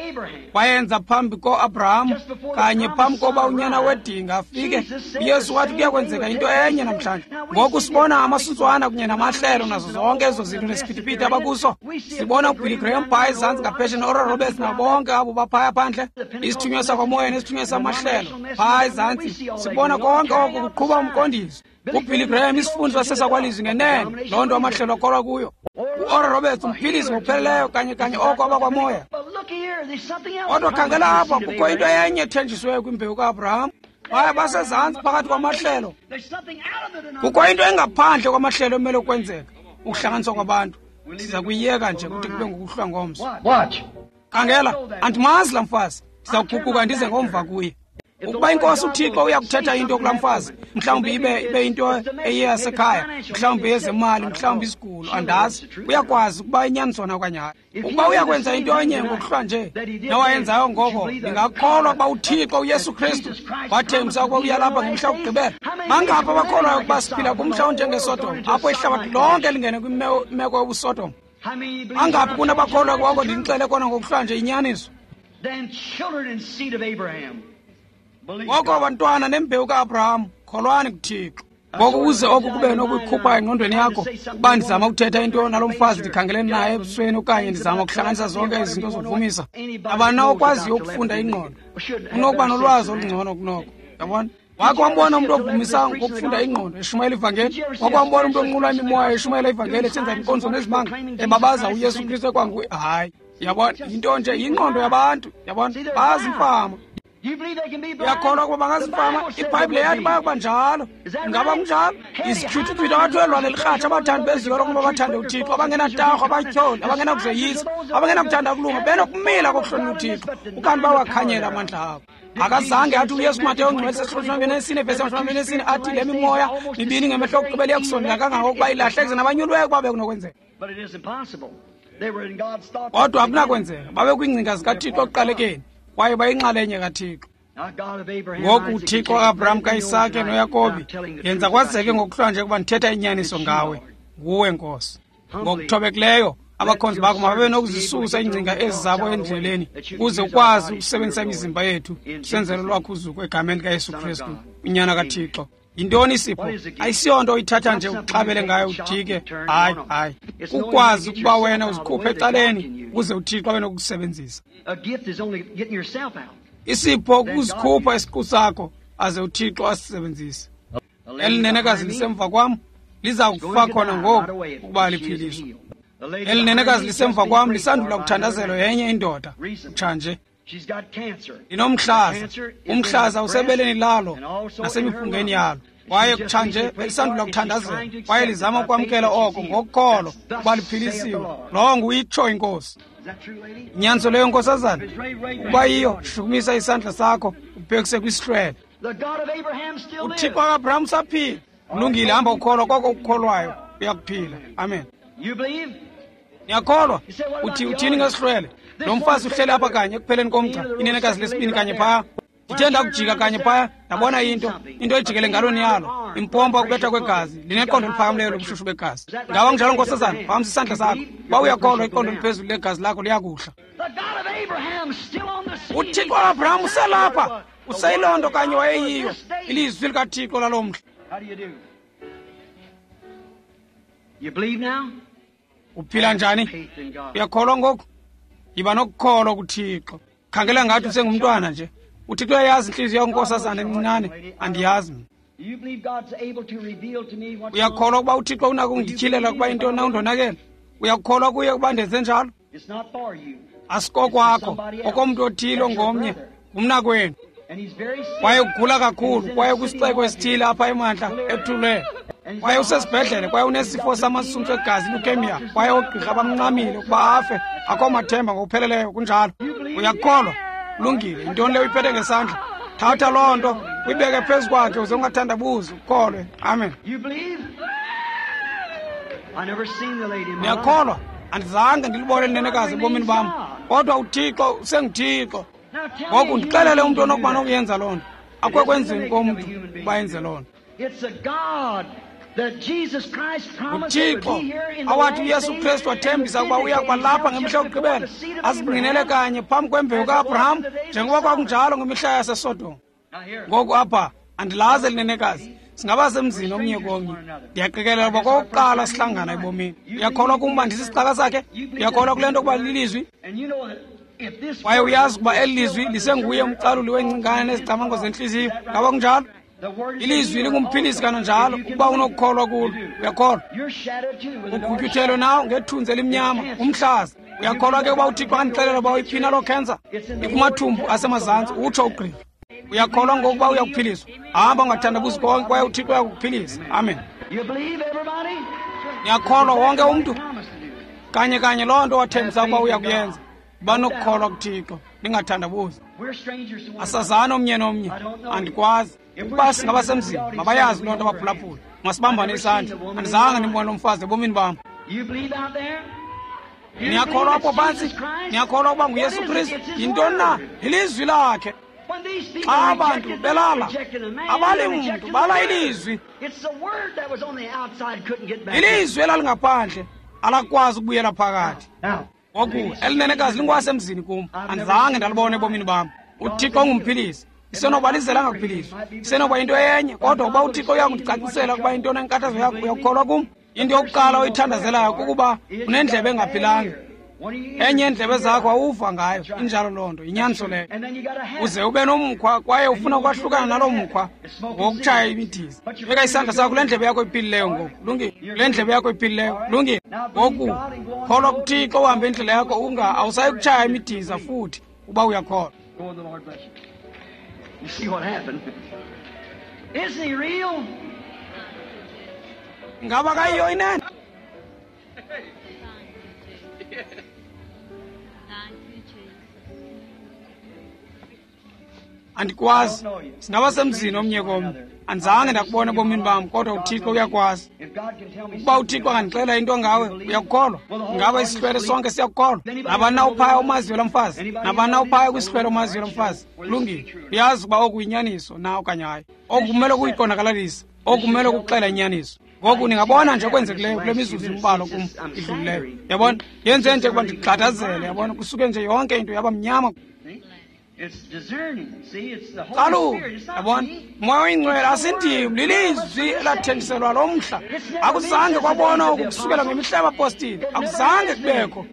wayenza phambi koAbraham, kanye phambi koba unyana wedinga afike, uYesu wathi kuya kwenzeka into enye namhlanje. Ngoku sibona amasuntswana kunye namahlelo nazo zonke ezo zinto nesiphithiphithi abakuso. Sibona uBilly Graham phaya ezantsi ngaphesheya, no-Oral Roberts nabo bonke abo baphaya phandle, isithunywa sakwamoya nesithunywa samahlelo phaya ezantsi. Sibona konke oko kuqhuba umqondiso. UBilly Graham isifundiso sesakwalizwi ngenene, loo nto amahlelo akholwa kuyo. U-Oral Roberts umphilisi ngokupheleleyo kanye kanye oko abakwamoya. Kodwa khangela apha, kukho into enye ethenjisiweyo kwimbewu ka-Abraham. Baye basezantsi phakathi kwamahlelo. Kukho into engaphandle kwamahlelo emele ukwenzeka, ukuhlanganiswa kwabantu. Siza kuyiyeka nje kude kube ngokuhlwa ngomso. Khangela, andimazi laa mfazi. Ndiza kuguquka ndize ngomva kuye. Ukuba inkosi uThixo uyakuthetha into kulaa mfazi, mhlawumbi ibe into eye yasekhaya, mhlawumbi eyezemali, mhlawumbi isigulo, andazi. Uyakwazi ukuba inyanisona okanye hayi. Ukuba uyakwenza into enye ngokuhlwa nje nawayenzayo ngoko, ndingakholwa ukuba uThixo uYesu Kristu wathembisa ukuba uyalapha ngomhla wokugqibela. Bangaphi abakholwayo ukuba siphila kumhla onjengeSodom, apho ihlabathi lonke lingene kwimeko yobuSodom? Bangaphi kunabakholwa kwako ndinixele kona ngokuhlwa nje inyaniso? Ngoko bantwana nembewu ka-Abraham, kholwani kuThixo. Ngoku uze oku kube nokuyikhupha engqondweni yakho, ukuba ndizama ukuthetha into nalo mfazi ndikhangelene naye ebusweni, okanye ndizama ukuhlanganisa zonke izinto zokuvumisa. Nabani na okwaziyo ukufunda ingqondo unokuba nolwazi olungcono kunoko. Yabona? Wakhe wambona umntu ovumisa ngokufunda ingqondo eshumayela ivangeli? Wakhe wambona umntu onqula imimoya eshumayela ivangeli, esenza inkonzo nezimanga, ebabaza uYesu Kristu ekwanguye? Hayi. Yabona? Yinto nje, yingqondo yabantu. Yabona? Bazimfama. Uyakholwa ukuba bangazifama? IBhayibhile yathi bayakuba njalo. Ingaba kunjalo? Izityhuthutyhuthu abathwelwa nelirhatsha, abathandi bezikolo ukuba bathande uThixo, abangenatarho, abatyholi, abangenakuzoyisa, abangenakuthanda kulunga, benokumila kokuhlonela uThixo, ukanti bawakhanyela amandla abo. Akazange athi uYesu kuMateyu ngcwele sesishumi vesi 24 athi le mimoya mibini ngemehlo okugqibela iyakusondela kangangokuba ilahlekise nabanyulweyo ukuba bekunokwenzeka. Kodwa akunakwenzeka, babe kwiingcinga zikaThixo ekuqalekeni, kwaye bayinxalenye kaThixo. Ngoku uThixo ka-Abraham, kaIsake noYakobi, yenza kwazeke ngokuhlwa nje ukuba ndithetha inyaniso ngawe, nguwe Nkosi. Ngokuthobekileyo abakhonzi bakho mababe nokuzisusa iingcinga ezi zabo endleleni, ukuze ukwazi ukusebenzisa imizimba yethu senzele lwakho uzuko egameni likaYesu Kristu, uNyana kaThixo. Yintoni isipho? Ayisiyonto oyithatha nje uxabele ngayo ujike. Hayi, hayi. Kukwazi ukuba wena uzikhuphe ecaleni ukuze uThixo abe nokukusebenzisa. Isipho kuzikhupha isiqu sakho aze uThixo asisebenzise. Eli nenekazi lisemva kwam liza kufa khona ngoku ukuba liphiliswa. Eli nenekazi lisemva kwam lisandula kuthandazelwa yenye indoda kutshanje. Linomhlaza. Umhlaza usebeleni lalo nasemiphungeni yalo. Kwaye kutshanje belisandula kuthandazela, kwaye lizama ukwamkela oko ngokholo ukuba liphilisiwe. Lowo nguyitsho inkosi. Inyaniso leyo, nkosazana? Ukuba yiyo, shukumisa isandla sakho ubhekise kwisihlwele. UThixo ka-Abraham usaphila. Kulungile, hamba ukholwa koko ukukholwayo, uyakuphila. Amen. Niyakholwa? Uthi uthini ngesihlwele? Lo mfazi uhleli apha kanye ekupheleni komgca, inenekazi lesibini kanye phaya. Ndithe ndakujika kanye phaya, ndabona into ejikele ngalweni yalo, impompa ukubetha kwegazi, lineqondo eliphakamileyo lobushushu begazi. Ngaba kunjalo, nkosazana? Phakamisa isandla sakho. Uba uyakholwa, iqondo eliphezulu legazi lakho liyakuhla. UThixo ka-Abraham uselapha, useyiloo nto kanye wayeyiyo, ilizwi likaThixo laloo mhla. Uphila njani? Uyakholwa ngoku? Yiba nokukholwa kuThixo. Khangela ngathi usengumntwana nje. uThixo uyayazi intliziyo yakho, nkosazana encinane. Andiyazi mna. Uyakholwa ukuba uThixo unako ukundityhilela ukuba intoni na undonakele? Uyakholwa kuye ukuba ndenze njalo? Asikokwakho, okomntu othile ongomnye, ngumnakwenu. Kwaye ugula kakhulu, kwaye kwisixeko esithile apha emantla ethulwe. Kwaye usesibhedlele, kwaye unesifo samasuntsu egazi, leukemia, kwaye oogqirha bamncamile ukuba afe. Akho mathemba ngokupheleleyo, kunjalo. Uyakholwa? Kulungile. Yintoni leyo uyiphethe ngesandla? Thatha loo nto uyibeke phezu kwakhe uze ungathandabuzi, ukholwe. Amen. Ndiyakholwa. Andizange ndilibone linenekazi ebomini bam, kodwa uThixo usenguThixo. Ngoku ndixelele umntu onokuba nokuyenza loo nto. Akukho kwenzeni komntu uba yenze loo nto. UThixo awathi uYesu Kristu wathembisa ukuba uya kuba lapha ngemihla yokugqibela, azingqinele kanye phambi kwembewu ka-Abraham, njengoba kwakunjalo ngemihla yaseSodom. Ngoku apha andilazi elinenekazi, singaba semzini omnye komnye. Ndiyaqikelela uba kokuqala sihlangana ebomini. Uyakholwa kum uba ndisisicaka sakhe? Uyakholwa kule nto ukuba lilizwi? Kwaye uyazi ukuba eli lizwi lisenguye umcaluli weengcingane nezicamango zentliziyo. Ngaba kunjalo? Ilizwi lingumphilisi kananjalo, ukuba unokukholwa kulo. Uyakholwa? Ugutyuthelwe nawo ngethunzi elimnyama, umhlaza. Uyakholwa ke ukuba uThixo andixelela uba uyiphina loo khensa? Ikumathumbu asemazantsi, utsho ugqirha. Uyakholwa ngokuba uyakuphiliswa? Hamba ungathandabuzi konke, kwaye uThixo uyakuphilisa. Amen. Niyakholwa wonke umntu? Kanye kanye loo nto wathembisa ukuba uyakuyenza. Banokukholwa kuThixo, ningathandabuzi. Asazani omnye nomnye, andikwazi. Ukuba singabasemzini, mabayazi loo nto abaphulaphula. Masibambane isandla. Andizange ndimbone lo mfazi ebomini bam. Niyakholwa apho phantsi? Niyakholwa ukuba nguYesu Kristu? Yintoni na? Ilizwi lakhe. Xa abantu belala, abali mntu, bala ilizwi. Ilizwi elalingaphandle alakwazi ukubuyela phakathi. Ngoku elinenekazi lingwasemzini kum, andizange ndalibona ebomini bam. UThixo ungumphilisi. Isenoba lizela angakuphiliswa, isenoba yinto enye, kodwa ukuba uThixo uyakundicacisela ukuba yintoni enkathazo yakho, uyakukholwa kum? Into yokuqala oyithandazelayo kukuba unendlebe engaphilanga. Enye yeendlebe zakho awuva ngayo. Injalo loo nto, yinyaniso leyo. Uze ube nomkhwa kwaye ufuna ukwahlukana naloo mkhwa ngokutshaya imidiza. Beka isandla sakho kule ndlebe yakho iphilileyo ngoku. Lungile. Kule ndlebe yakho iphilileyo. Lungile. Ngoku kholwa kuThixo, uhambe indlela yakho, unga awusayi kutshaya imidiza futhi uba uyakholwa.
You see what happened. Isn't he real?
Ngaba kayiyo inene? Andikwazi. Singabasemzini omnye komnye. Andizange ndakubona ebomini bam, kodwa uThixo uyakwazi. Ukuba uThixo angandixelela into ngawe, uyakukholwa? Ngaba isihlwele sonke siyakukholwa? Nabani na uphaya umaziyo lo mfazi? Nabani na uphaya kwisihlwele umaziyo lo mfazi? Kulungile. Uyazi ukuba oku yinyaniso na okanye hayi. Oku kumele kuyiqondakalalisa. Oku kumele kuxela inyaniso. Ngoku ningabona nje okwenzekileyo kule mizuzu imbalwa kum idlulileyo. Yabona? Yenze nje ukuba ndigxadazele, yabona? Kusuke nje yonke into yaba mnyama. Kaloku, yabona, Moya oyiNgcwele asindim, lilizwi elathenjiselwa lo mhla. Akuzange kwabonwa oku kusukela ngemihla yabapostile, akuzange kubekho.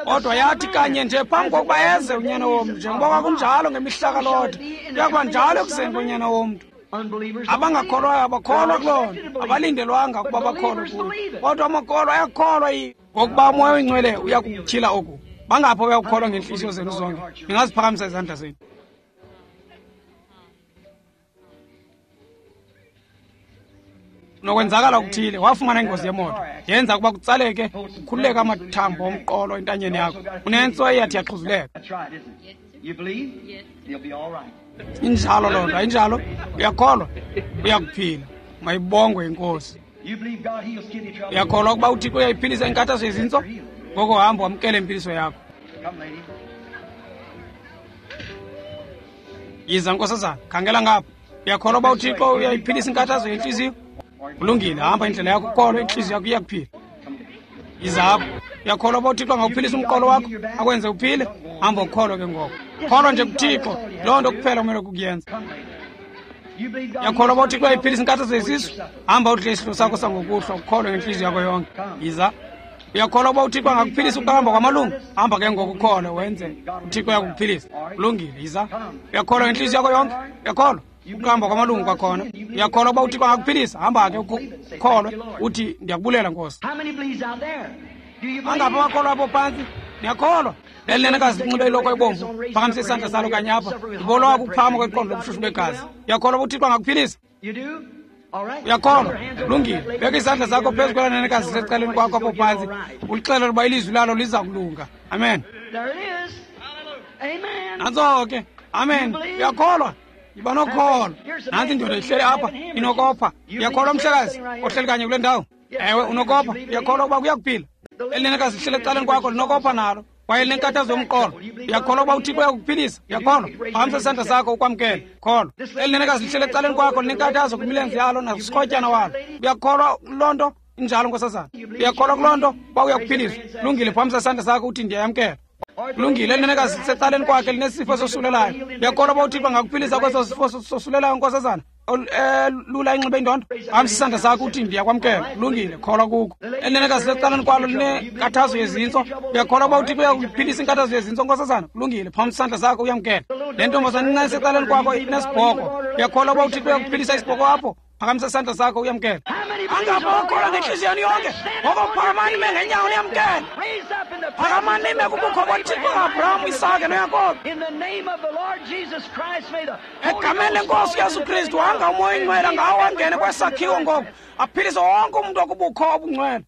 Kodwa yathi kanye nje phambi kokuba eze uNyana womntu, njengoba kwakunjalo ngemihla kaLote, kuya kuba njalo ekuzeni koNyana womntu. Abangakholwayo abakholwa kuloo nto, abalindelwanga ukuba bakholwe kuyo, kodwa amakholwa ayakholwa ngokuba uMoya oyiNgcwele uyakutyhila oku. Bangaphi abayakukholwa ngeentliziyo zenu zonke? Ningaziphakamisa izandla zenu. Nokwenzakala okuthile, wafumana ingozi yemoto, yenza ukuba kutsaleke, kukhululeke amathambo omqolo entanyeni yakho. Unentso eyathi yaxhuzuleka. Injalo loo nto, ayinjalo? Uyakholwa? Uyakuphila. Mayibongwe iNkosi. Uyakholwa ukuba uThixo uyayiphilisa inkathazo yezintso? Ngoko hamba wamkele impiliso yakho. Yiza nkosazana, khangela ngapha. Uyakholwa uba uThixo uyayiphilisa inkathazo yentliziyo? Kulungile, hamba indlela yakho, ukholwe, intliziyo yakho iyakuphila. Yiza apha. Uyakholwa uba uThixo angawuphilisa umqolo wakho, akwenze uphile? Hamba ukholwe ke ngoko. Kholwa nje kuThixo, loo nto kuphela kumele kukuyenza. Uyakholwa uba uThixo uyayiphilisa inkathazo yesisu? Hamba udle isidlo sakho sangokuhlwa, ukholwe ngentliziyo yakho yonke. Yiza. Uyakholwa uba uThixo angakuphilisa ukuhamba kwamalungu? Hamba ke ngoku ukholwe, wenze. uThixo uyakuphilisa. Kulungile, yiza. Uyakholwa ngentliziyo yakho yonke? Uyakholwa ukuhamba kwamalungu kwakhona? Uyakholwa uba uThixo angakuphilisa? Hamba ke ukholwe, uthi ndiyakubulela Nkosi. Bangaphi abakholwa apho phantsi? Niyakholwa? Eli nenekazi linxibe iloko ebomvu, phakamise isandla salo kanye apha. Ndibolwa ukuphakama kweqondo lobushushu begazi. Uyakholwa uba uThixo angakuphilisa? Uyakholwa? Lungile. Beka izandla zakho phezu kwela nenekazi lisecaleni kwakho apho phantsi, ulixelele uba ilizwi lalo liza kulunga. Amen. Nantso ke. Amen. Uyakholwa? Yiba nokholo. Nantsi indoda ihleli apha, inokopha. Uyakholwa, mhlekazi ohleli kanye kule ndawo? Ewe, unokopha. Uyakholwa ukuba kuyakuphila? Elinenekazi lihleli ecaleni kwakho linokopha nalo, kwaye linenkathazo yomqolo. Uyakholwa ukuba uThixo uyakuphilisa? Uyakholwa? Phakamisa isandla sakho ukwamkele. Kholwa. Elinenekazi lihleli ecaleni kwakho linenkathazo kwimilenze yalo nakusikrotyana walo. Uyakholwa loo nto? Injalo, nkosazana. Uyakholwa kuloo nto uba uyakuphiliswa? Lungile, phakamisa isandla sakho uthi ndiyayamkela. Kulungile, elinenekazi lisecaleni kwakhe linesifo sosulelayo. Uyakholwa uba uThixo angakuphilisa kweso sifo sosulelayo, nkosazana? Lula inxibe indondo. Phakamisa isandla sakho uthi ndiyakwamkela. Kulungile, kholwa kuko. Elinenekazi lisecaleni kwalo linenkathazo yezintso. Uyakholwa uba uThixo uyakuphilisa inkathazo yezintso, nkosazana? Kulungile, phakamisa isandla sakho uyamkela. Le ntombazana incinane isecaleni kwakho inesibhoko. Uyakholwa uba uThixo uyakuphilisa isibhoko apho? Phakamisa isandla sakho uyamkele. Angapha okholwa ngentliziyo yenu yonke, ngoko phakamani nime ngeenyawo niyamkele. Phakamani nime kubukho boThixo kaAbraham, Isake noYakobi. Egameni lenkosi uYesu Kristu, wanga uMoya oyiNgcwele ngawo angene kwesakhiwo ngoku, aphilise wonke umntu okubukho obungcwele.